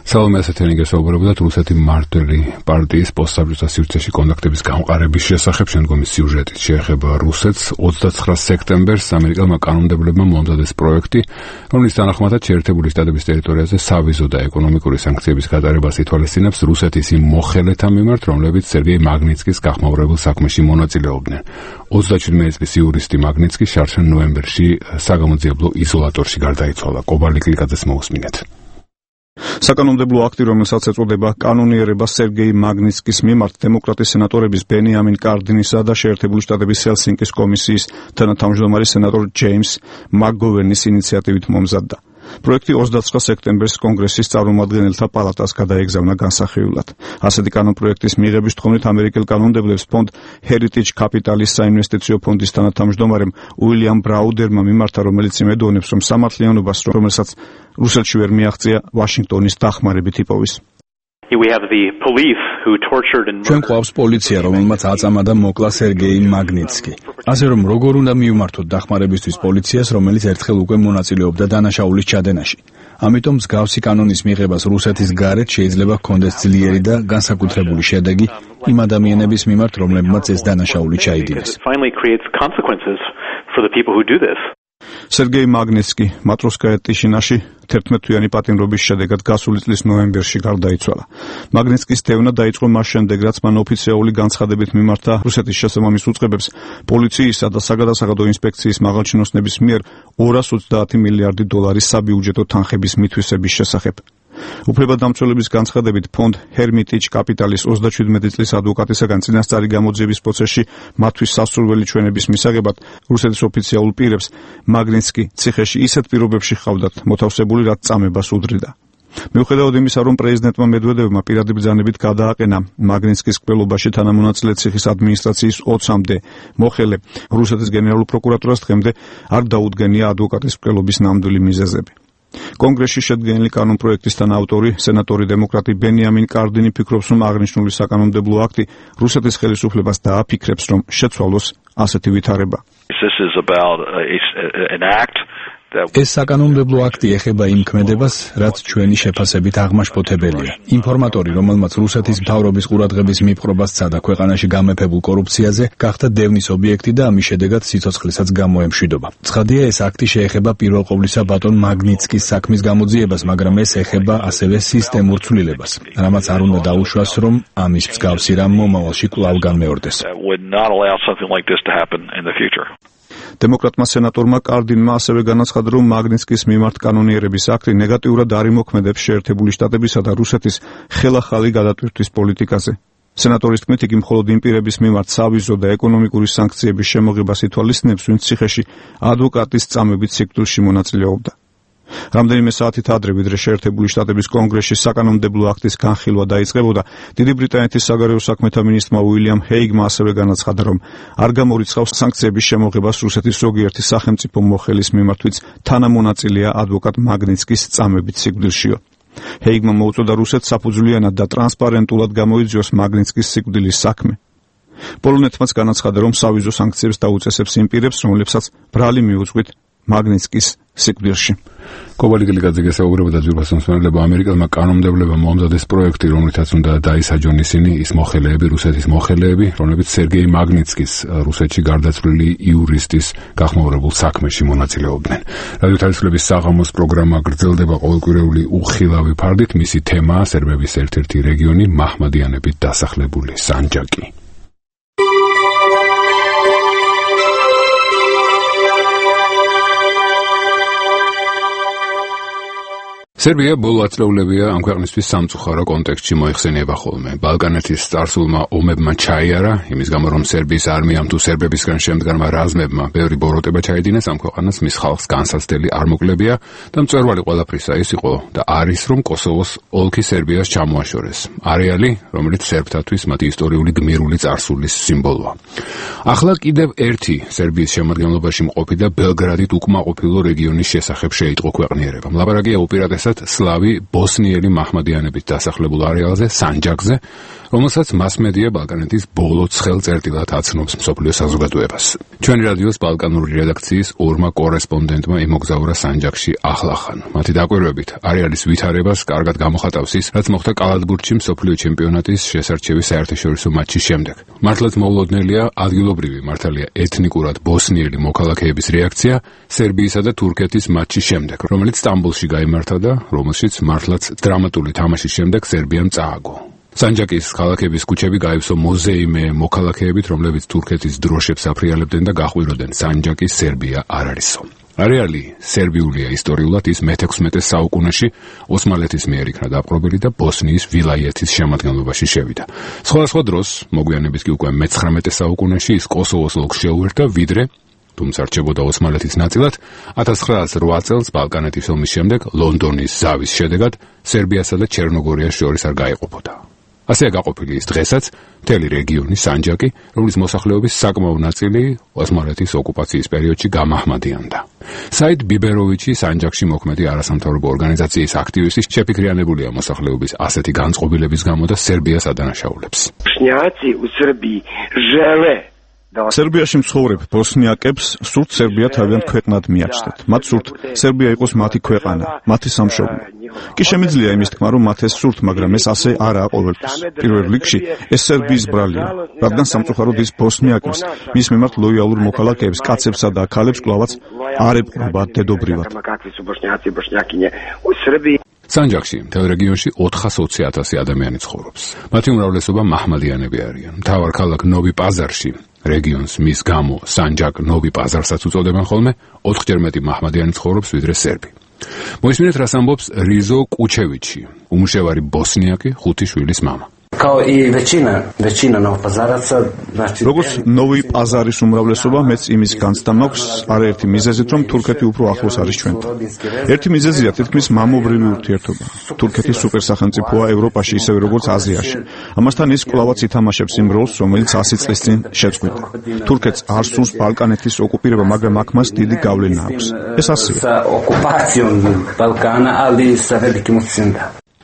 სალომე ასეთენი გესაუბრებოდათ რუსეთი მმართველი პარტიის პოსტსაბჭოთა სივრცეში კონტაქტების გამყარების შესახებ. შემდგომი სიუჟეტით შეეხება რუსეთს. ოცდაცხრა სექტემბერს ამერიკელმა კანონმდებლებმა მომზადეს პროექტი, რომლის თანახმადაც შეერთებული შტატების ტერიტორიაზე სავიზო და ეკონომიკური სანქციების გატარებას ითვალისწინებს რუსეთის იმ მოხელეთა მიმართ, რომლებიც სერგეი მაგნიცკის გახმაურებელ საქმეში მონაწილეობდნენ. ოცდაჩვიდმეტი წლის იურისტი მაგნიცკი შარშან ნოემბერში საგამოძიებლო იზოლატორში გარდაიცვალა. კობალი კლიკაძეს მოусმინეთ. საკანონმდებლო აქტი, რომელსაც ეწოდება კანონიერება სერგეი მაგნიცკის მიმართ, დემოკრატის სენატორების ბენიამინ კარდინისა და შეერთებული შტატების ჰელსინკის კომისიის თანათავმჯდომარის სენატორ ჯეიმს მაკგოვერნის ინიციატივით მომზადდა. პროექტი ოცდაცხრა სექტემბერს კონგრესის წარმომადგენელთა პალატას გადაეგზავნა განსახილვად. ასეთი კანონპროექტის მიღების თხოვნით ამერიკელ კანონმდებლებს ფონდ Heritage Capital-ის საინვესტიციო ფონდის თანათავმჯდომარემ უილიამ ბრაუდერმა მიმართა, რომელიც იმედოვნებს, რომ სამართლიანობას, რომელსაც რუსეთში ვერ მიაღწია, ვაშინგტონის დახმარებით იპოვის. ჩვენ გვყავს პოლიცია, რომელმაც აწამა და მოკლა სერგეი მაგნიცკი. ასე რომ როგორ უნდა მივმართოთ დახმარებისთვის პოლიციას, რომელიც ერთხელ უკვე მონაწილეობდა დანაშაულის ჩადენაში. ამიტომ მსგავსი კანონის მიღებას რუსეთის გარეთ შეიძლება ჰქონდეს ძლიერი და განსაკუთრებული შედეგი იმ ადამიანების მიმართ, რომლებმაც ეს დანაშაული ჩაიდინეს. სერგეი მაგნიცკი მატროსკაია ტიშინაში თერთმეტთვიანი პატიმრობის შედეგად გასული წლის ნოემბერში გარდაიცვალა. მაგნიცკის დევნა დაიწყო მას შემდეგ, რაც მან ოფიციალური განცხადებით მიმართა რუსეთის შესაბამის უწყებებს პოლიციისა და საგადასაღადო ინსპექციის მაღალჩინოსნების მიერ ორას ოცდაათი მილიარდი დოლარის საბიუჯეტო თანხების მითვისების შესახებ. უფლებადამცველების განცხადებით ფონდ Heritage Capital-ის ოცდაჩვიდმეტი წლის ადვოკატისაგან წინასწარი გამოძიების პროცესში მათთვის სასურველი ჩვენების მისაღებად რუსეთის ოფიციალურ პირებს მაგნიცკი ციხეში ისეთ პირობებში ჰყავდათ მოთავსებული, რაც წამებას უდრიდა. მიუხედავად იმისა, რომ პრეზიდენტმა მედვედევმა პირადი ბრძანებით გადააყენა მაგნიცკის კვლელობაში თანამონაწილე ციხის ადმინისტრაციის ოცამდე მოხელე, რუსეთის გენერალურ პროკურატურას დღემდე არ დაუდგენია ადვოკატის კვლელობის ნამდვილი მიზეზები. კონგრესში შედგენილი კანონპროექტის თანაავტორი, სენატორი დემოკრატი ბენიამინ კარდინი ფიქრობს, რომ აღნიშნული საკანონმდებლო აქტი რუსეთის ხელისუფლებას დააფიქრებს, რომ შეცვალოს ასეთი ვითარება. ეს საკანონმდებლო აქტი ეხება იმ ქმედებას, რაც ჩვენი შეფასებით აღმაშფოთებელია. ინფორმატორი, რომელმაც რუსეთის მთავრობის ყურადღების მიპყრობას სცადა ქვეყანაში გამეფებულ კორუფციაზე, გახდა დევნის ობიექტი და ამის შედეგად სიცოცხლესაც გამოემშვიდობა. ცხადია, ეს აქტი შეეხება პირველ ყოვლისა ბატონ მაგნიცკის საქმის გამოძიებას, მაგრამ ეს ეხება ასევე სისტემურ ცვლილებას, რამაც არ უნდა დაუშვას, რომ ამის მსგავსი რამ მომავალში კვლავ განმეორდეს. დემოკრატმა სენატორმა კარდინმა ასევე განაცხადა, რომ მაგნიცკის მიმართ კანონიერების აქტი ნეგატიურად არ იმოქმედებს შეერთებული შტატებისა და რუსეთის ხელახალი გადატვირთვის პოლიტიკაზე. სენატორის თქმით, იგი მხოლოდ იმ პირების მიმართ სავიზო და ეკონომიკური სანქციების შემოღებას ითვალისწინებს, ვინც ციხეში ადვოკატის წამებით სიკვდილში მონაწილეობდა. რამდენიმე საათით ადრე, ვიდრე შეერთებული შტატების კონგრესში საკანონმდებლო აქტის განხილვა დაიწყებოდა, დიდი ბრიტანეთის საგარეო საქმეთა მინისტრმა უილიამ ჰეიგმა ასევე განაცხადა, რომ არ გამორიცხავს სანქციების შემოღებას რუსეთის ზოგიერთი სახელმწიფო მოხელის მიმართ, ვინც თანამონაწილეა ადვოკატ მაგნიცკის წამებით სიკვდილშიო. ჰეიგმა მოუწოდა რუსეთს საფუძვლიანად და ტრანსპარენტულად გამოიძიოს მაგნიცკის სიკვდილის საქმე. პოლონეთმაც განაცხადა, რომ სავიზო სანქციებს დაუწესებს იმ პირებს, რომლებსაც ბრალი მიუძღვით მაგნიცკის სიკვდილში. კობალი კლიკაძე გესაუბრებოდა ძვირფასმსმენელებმა ამერიკელმა კანონმდებლებმა მომზადეს პროექტი, რომლითაც უნდა დაისაჯონ ისინი ის მოხელეები, რუსეთის მოხელეები, რომლებიც სერგეი მაგნიცკის რუსეთში გარდაცვლილი იურისტის გახმაურებულ საქმეში მონაწილეობდნენ. რადიო თავისუფლების საღამოს პროგრამა გრძელდება ყოველკვირეული უხილავი ფარდით, მისი თემაა სერბების ერთ-ერთი რეგიონი მაჰმადიანებით დასახლებული სანჯაკი. სერბია ბოლო ათწლეულებია ამ ქვეყნისთვის სამწუხარო კონტექსტში მოიხსენიება ხოლმე. ბალკანეთის წარსულმა ომებმა ჩაიარა, იმის გამო რომ სერბიის არმიამ თუ სერბებისგან შემდგარმა რაზმებმა ბევრი ბოროტება ჩაიდინეს ამ ქვეყანას, მის ხალხს განსაცდელი არ მოკლებია და მწვერვალი ყველაფრისა ის იყო და არის, რომ კოსოვოს ოლქი სერბიას ჩამოაშორეს. არეალი, რომელიც სერბთათვის მათი ისტორიული გმირული წარსულის სიმბოლოა. ახლა კიდევ ერთი სერბიის შემადგენლობაში მყოფი და ბელგრადით უკმაყოფილო რეგიონის შესახებ შეიტყო ქვეყნიერება. ლაპარაკია უპირატესად konkretულად სლავი ბოსნიელი მაჰმადიანებით დასახლებულ არეალზე, სანჯაკზე, რომელსაც მასმედია ბალკანეთის ბოლო ცხელ წერტილად აცნობს მსოფლიო საზოგადოებას. ჩვენი რადიოს ბალკანური რედაქციის ორმა კორესპონდენტმა იმოგზაურა სანჯაკში ახლახან. მათი დაკვირვებით არეალის ვითარებას კარგად გამოხატავს ის, რაც მოხდა კალათბურთში მსოფლიო ჩემპიონატის შესარჩევის საერთაშორისო მატჩის შემდეგ. მართლაც მოულოდნელია ადგილობრივი მართალია ეთნიკურად ბოსნიელი მოქალაქეების რეაქცია სერბიისა და თურქეთის მატჩის შემდეგ, რომელიც სტამბოლში გაიმართა და რომელშიც მართლაც დრამატული თამაშის შემდეგ სერბიამ წააგო. სანჯაკის ქალაქების ქუჩები გაივსო მოზეიმე მოქალაქეებით, რომლებიც თურქეთის დროშებს აფრიალებდნენ და გაყვიროდნენ სანჯაკის სერბია არ არისო. არეალი სერბიულია ისტორიულად, ის მეთექვსმეტე საუკუნეში ოსმალეთის მიერ იქნა დაპყრობილი და ბოსნიის ვილაიეთის შემადგენლობაში შევიდა. სხვადასხვა დროს, მოგვიანებით კი უკვე მეცხრამეტე საუკუნეში ის კოსოვოს ოლქს შეუერთა, ვიდრე თუმცა რჩებოდა ოსმალეთის ნაწილად, ათას ცხრაასი ორი წელს ბალკანეთის ომის შემდეგ ლონდონის ზავის შედეგად სერბიასა და ჩერნოგორიას შორის არ გაეყოფოდა. ასეა გაყოფილი ის დღესაც მთელი რეგიონი სანჯაკი, რომლის მოსახლეობის საკმაო ნაწილი ოსმალეთის ოკუპაციის პერიოდში გამაჰმადიანდა. საიდ ბიბეროვიჩი სანჯაკში მოქმედი არასამთავრობო ორგანიზაციის აქტივისტი შეფიქრიანებულია მოსახლეობის ასეთი განწყობილების გამო და სერბიას ადანაშაულებს. სერბიაში მცხოვრებ ბოსნიაკებს სურთ სერბია თავიანთ ქვეყნად მიაჩნდეთ. მათ სურთ სერბია იყოს მათი ქვეყანა, მათი სამშობლო. კი შემიძლია იმის თქმა, რომ მათ ეს სურთ, მაგრამ ეს ასე არაა ყოველთვის. პირველ რიგში ეს სერბიის ბრალია, რადგან სამწუხაროდ ის ბოსნიაკებს, მის მიმართ ლოიალურ მოქალაქეებს, კაცებსა და ქალებს კვლავაც არ ეპყრობა დედობრივად. სანჯაკში მთელ რეგიონში ოთხას ოცი ათასი ადამიანი ცხოვრობს. მათი უმრავლესობა მაჰმადიანები არიან. მთავარ ქალაქ ნოვი პაზარში რეგიონს მის გამო სანჯაკ ნოვი პაზარსაც უწოდებენ ხოლმე, ოთხჯერ მეტი მაჰმადიანი ცხოვრობს ვიდრე სერბი. მოისმინეთ რას ამბობს რიზო კუჩევიჩი, უმუშევარი ბოსნიაკი, ხუთი შვილის მამა. როგორც ნოვი პაზარის უმრავლესობა, მეც იმის განცდა მაქვს არაერთი მიზეზით, რომ თურქეთი უფრო ახლოს არის ჩვენთან. ერთი მიზეზია თითქმის მამობრივი ურთიერთობა. თურქეთი სუპერსახელმწიფოა ევროპაში, ისევე როგორც აზიაში. ამასთან ის კვლავაც ითამაშებს იმ როლს, რომელიც ასი წლის წინ შეწყვიტა. თურქეთს არ სურს ბალკანეთის ოკუპირება, მაგრამ აქ მას დიდი გავლენა აქვს. ეს ასეა.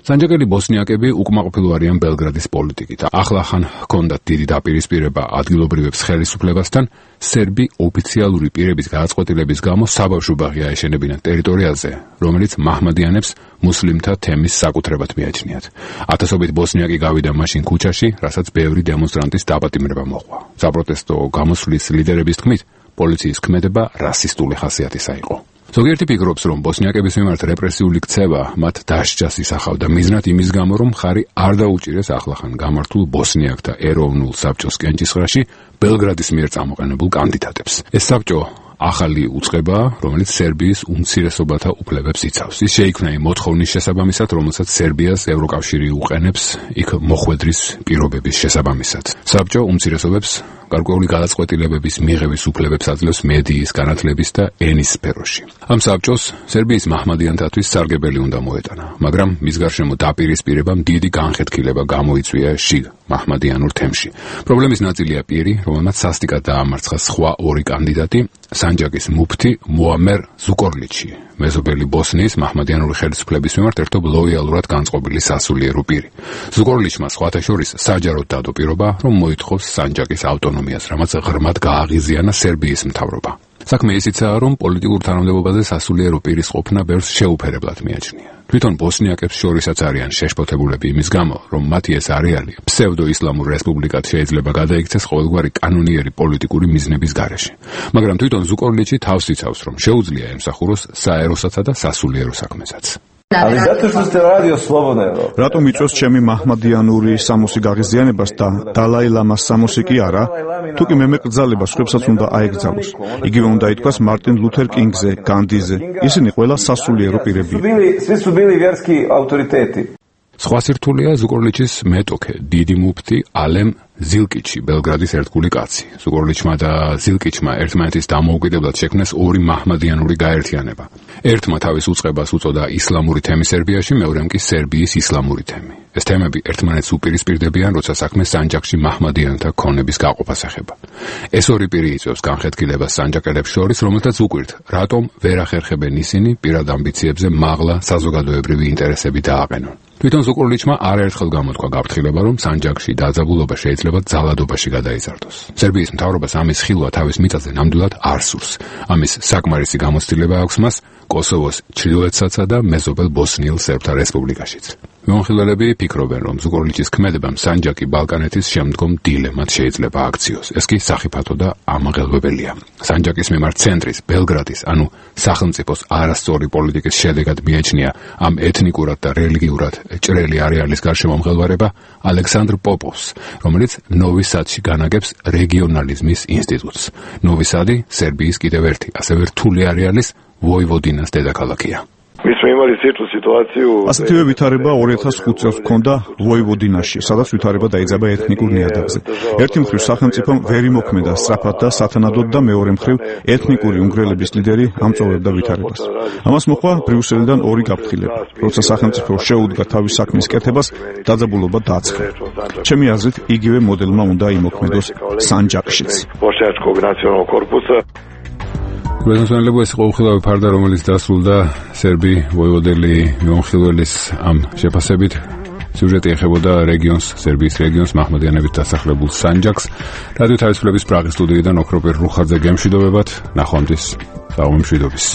სანჯაკელი ბოსნიაკები უკმაყოფილო არიან ბელგრადის პოლიტიკით. ახლახან ჰქონდათ დიდი დაპირისპირება ადგილობრივებს ხელისუფლებასთან, სერბი ოფიციალური პირების გადაწყვეტილების გამო საბავშვო ბაღი აეშენებინათ ტერიტორიაზე, რომელიც მაჰმადიანებს მუსლიმთა თემის საკუთრებად მიაჩნიათ. ათასობით ბოსნიაკი გავიდა მაშინ ქუჩაში, რასაც ბევრი დემონსტრანტის დაპატიმრება მოჰყვა. საპროტესტო გამოსვლის ლიდერების თქმით, პოლიციის ქმედება რასისტული ხასიათისა იყო. ზოგიერთი ფიქრობს, რომ ბოსნიაკების მიმართ რეპრესიული ქცევა მათ დასჯას ისახავდა მიზნად იმის გამო, რომ მხარი არ დაუჭირეს ახლახან გამართულ ბოსნიაკთა ეროვნულ საბჭოს კენჭისყრაში ბელგრადის მიერ წამოყენებულ კანდიდატებს. ეს საბჭო ახალი უწყებაა, რომელიც სერბიის უმცირესობათა უფლებებს იცავს. ის შეიქმნა იმ მოთხოვნის შესაბამისად, რომელსაც სერბიას ევროკავშირი უყენებს იქ მოხვედრის პირობების შესაბამისად. საბჭო უმცირესობებს გარკვეული გადაწყვეტილებების მიღების უფლებებს აძლევს მედიის, განათლების და ენის სფეროში. ამ საბჭოს სერბიის მაჰმადიანთათვის სარგებელი უნდა მოეტანა, მაგრამ მის გარშემო დაპირისპირებამ დიდი განხეთქილება გამოიწვია შიგ მაჰმადიანურ თემში. პრობლემის ნაწილია პირი, რომელმაც სასტიკად დაამარცხა სხვა ორი კანდიდატი, სანჯაკის მუფთი მოამერ ზუკორლიჩი, მეზობელი ბოსნიის მაჰმადიანური ხელისუფლების მიმართ ერთობ ლოიალურად განწყობილი სასულიერო პირი. ზუკორლიჩმა სხვათა შორის საჯაროდ დადო პირობა, რომ მოითხოვს სანჯაკის ავტონომიას, რამაც ღრმად გააღიზიანა სერბიის მთავრობა. საქმე ისიცაა, რომ პოლიტიკურ თანამდებობაზე სასულიერო პირის ყოფნა ბევრს შეუფერებლად მიაჩნია. თვითონ ბოსნიაკებს შორისაც არიან შეშფოთებულები იმის გამო, რომ მათი ეს არეალი ფსევდო-ისლამურ რესპუბლიკად შეიძლება გადაიქცეს ყოველგვარი კანონიერი პოლიტიკური მიზნების გარეშე. მაგრამ თვითონ ზუკორლიჩი თავს იცავს, რომ შეუძლია ემსახუროს საეროსაცა და სასულიერო საქმესაც. რატომ იწვევს ჩემი მაჰმადიანური სამოსი გაღიზიანებას და დალაი ლამას სამოსი კი არა? თუ კი მე მეკრძალება სხვებსაც უნდა აეკრძალოს. იგივე უნდა ითქვას მარტინ ლუთერ კინგზე, განდიზე. ისინი ყველა სასულიერო პირებია. სხვა სირთულეა ზუკორლიჩის მეტოქე, დიდი მუფტი ალემ ზილკიჩი, ბელგრადის ერთგული კაცი. ზუკორლიჩმა და ზილკიჩმა ერთმანეთის დამოუკიდებლად შექმნეს ორი მაჰმადიანური გაერთიანება. ერთმა თავის უწყებას უწოდა ისლამური თემი სერბიაში, მეორემ კი სერბიის ისლამური თემი. ეს თემები ერთმანეთს უპირისპირდებიან, როცა საქმე სანჯაყში მაჰმადიანთა ქონების გაყოფას ეხება. ეს ორი პირი იწვევს განხეთქილებას სანჯაყელებს შორის, რომელთაც უკვირთ, რატომ ვერ ახერხებენ ისინი პირად ამბიციებზე მაღლა საზოგადოებრივი ინტერესები დააყენონ. თვითონ ზუკორლიჩმა არაერთხელ გამოთქვა გაფრთხილება, რომ სანჯაყში დაძაბულობა შეიძლება ძალადობაში გადაიზარდოს. სერბიის მთავრობას ამის ხილვა თავის მიწაზე ნამდვილად არ სურს. ამის საკმარისი გამოცდილება აქვს მას კოსოვოს ჩრდილოეთსა და მეზობელ ბოსნიელ სერბთა რესპუბლიკაშიც. მიმოხილველები ფიქრობენ, რომ ზუკორლიჩის ქმედებამ სანჯაყი ბალკანეთის შემდგომ დილემად შეიძლება აქციოს. ეს კი სახიფათო და ამაღელვებელია. სანჯაყის მიმართ ცენტრის, ბელგრადის, ანუ სახელმწიფოს არასწორი პოლიტიკის შედეგად მიეჩნია ამ ეთნიკურად და რელიგიურად ჭრელი არეალის გარშემომღელვარება ალექსანდრ პოპოვს, რომელიც ნოვი სადში განაგებს რეგიონალიზმის ინსტიტუტს. ნოვი სადი სერბიის კიდევ ერთი, ასევე რთული არეალის ვოივოდინას დედაქალაქია. ასეთივე ვითარება ორი ათას ხუთ წელს ჰქონდა ვოივოდინაში, სადაც ვითარება დაიძაბა ეთნიკურ ნიადაგზე. ერთი მხრივ სახელმწიფომ ვერ იმოქმედა სწრაფად და სათანადოდ და მეორე მხრივ ეთნიკური უნგრელების ლიდერი ამწოვებდა ვითარებას. ამას მოჰყვა ბრიუსელიდან ორი გაფრთხილება. როცა სახელმწიფო შეუდგა თავის საქმის კეთებას, დაძაბულობა დააცხადა. ჩემი აზრით, იგივე მოდელმა უნდა იმოქმედოს სანჯაყშიც. გულისხმობ ეს ყოველდღიური ფარდა, რომელიც დასრულდა სერბი ვოივოდელი მიმოხილველის ამ შეფასებით. სიუჟეტი ეხებოდა რეგიონს, სერბიის რეგიონს მაჰმადიანებით დასახლებულ სანჯაყს. რადიო თავისუფლების პრაღის სტუდიიდან ოქროპირ რუხაძე გემშვიდობებათ. ნახვამდის, საღამო მშვიდობის.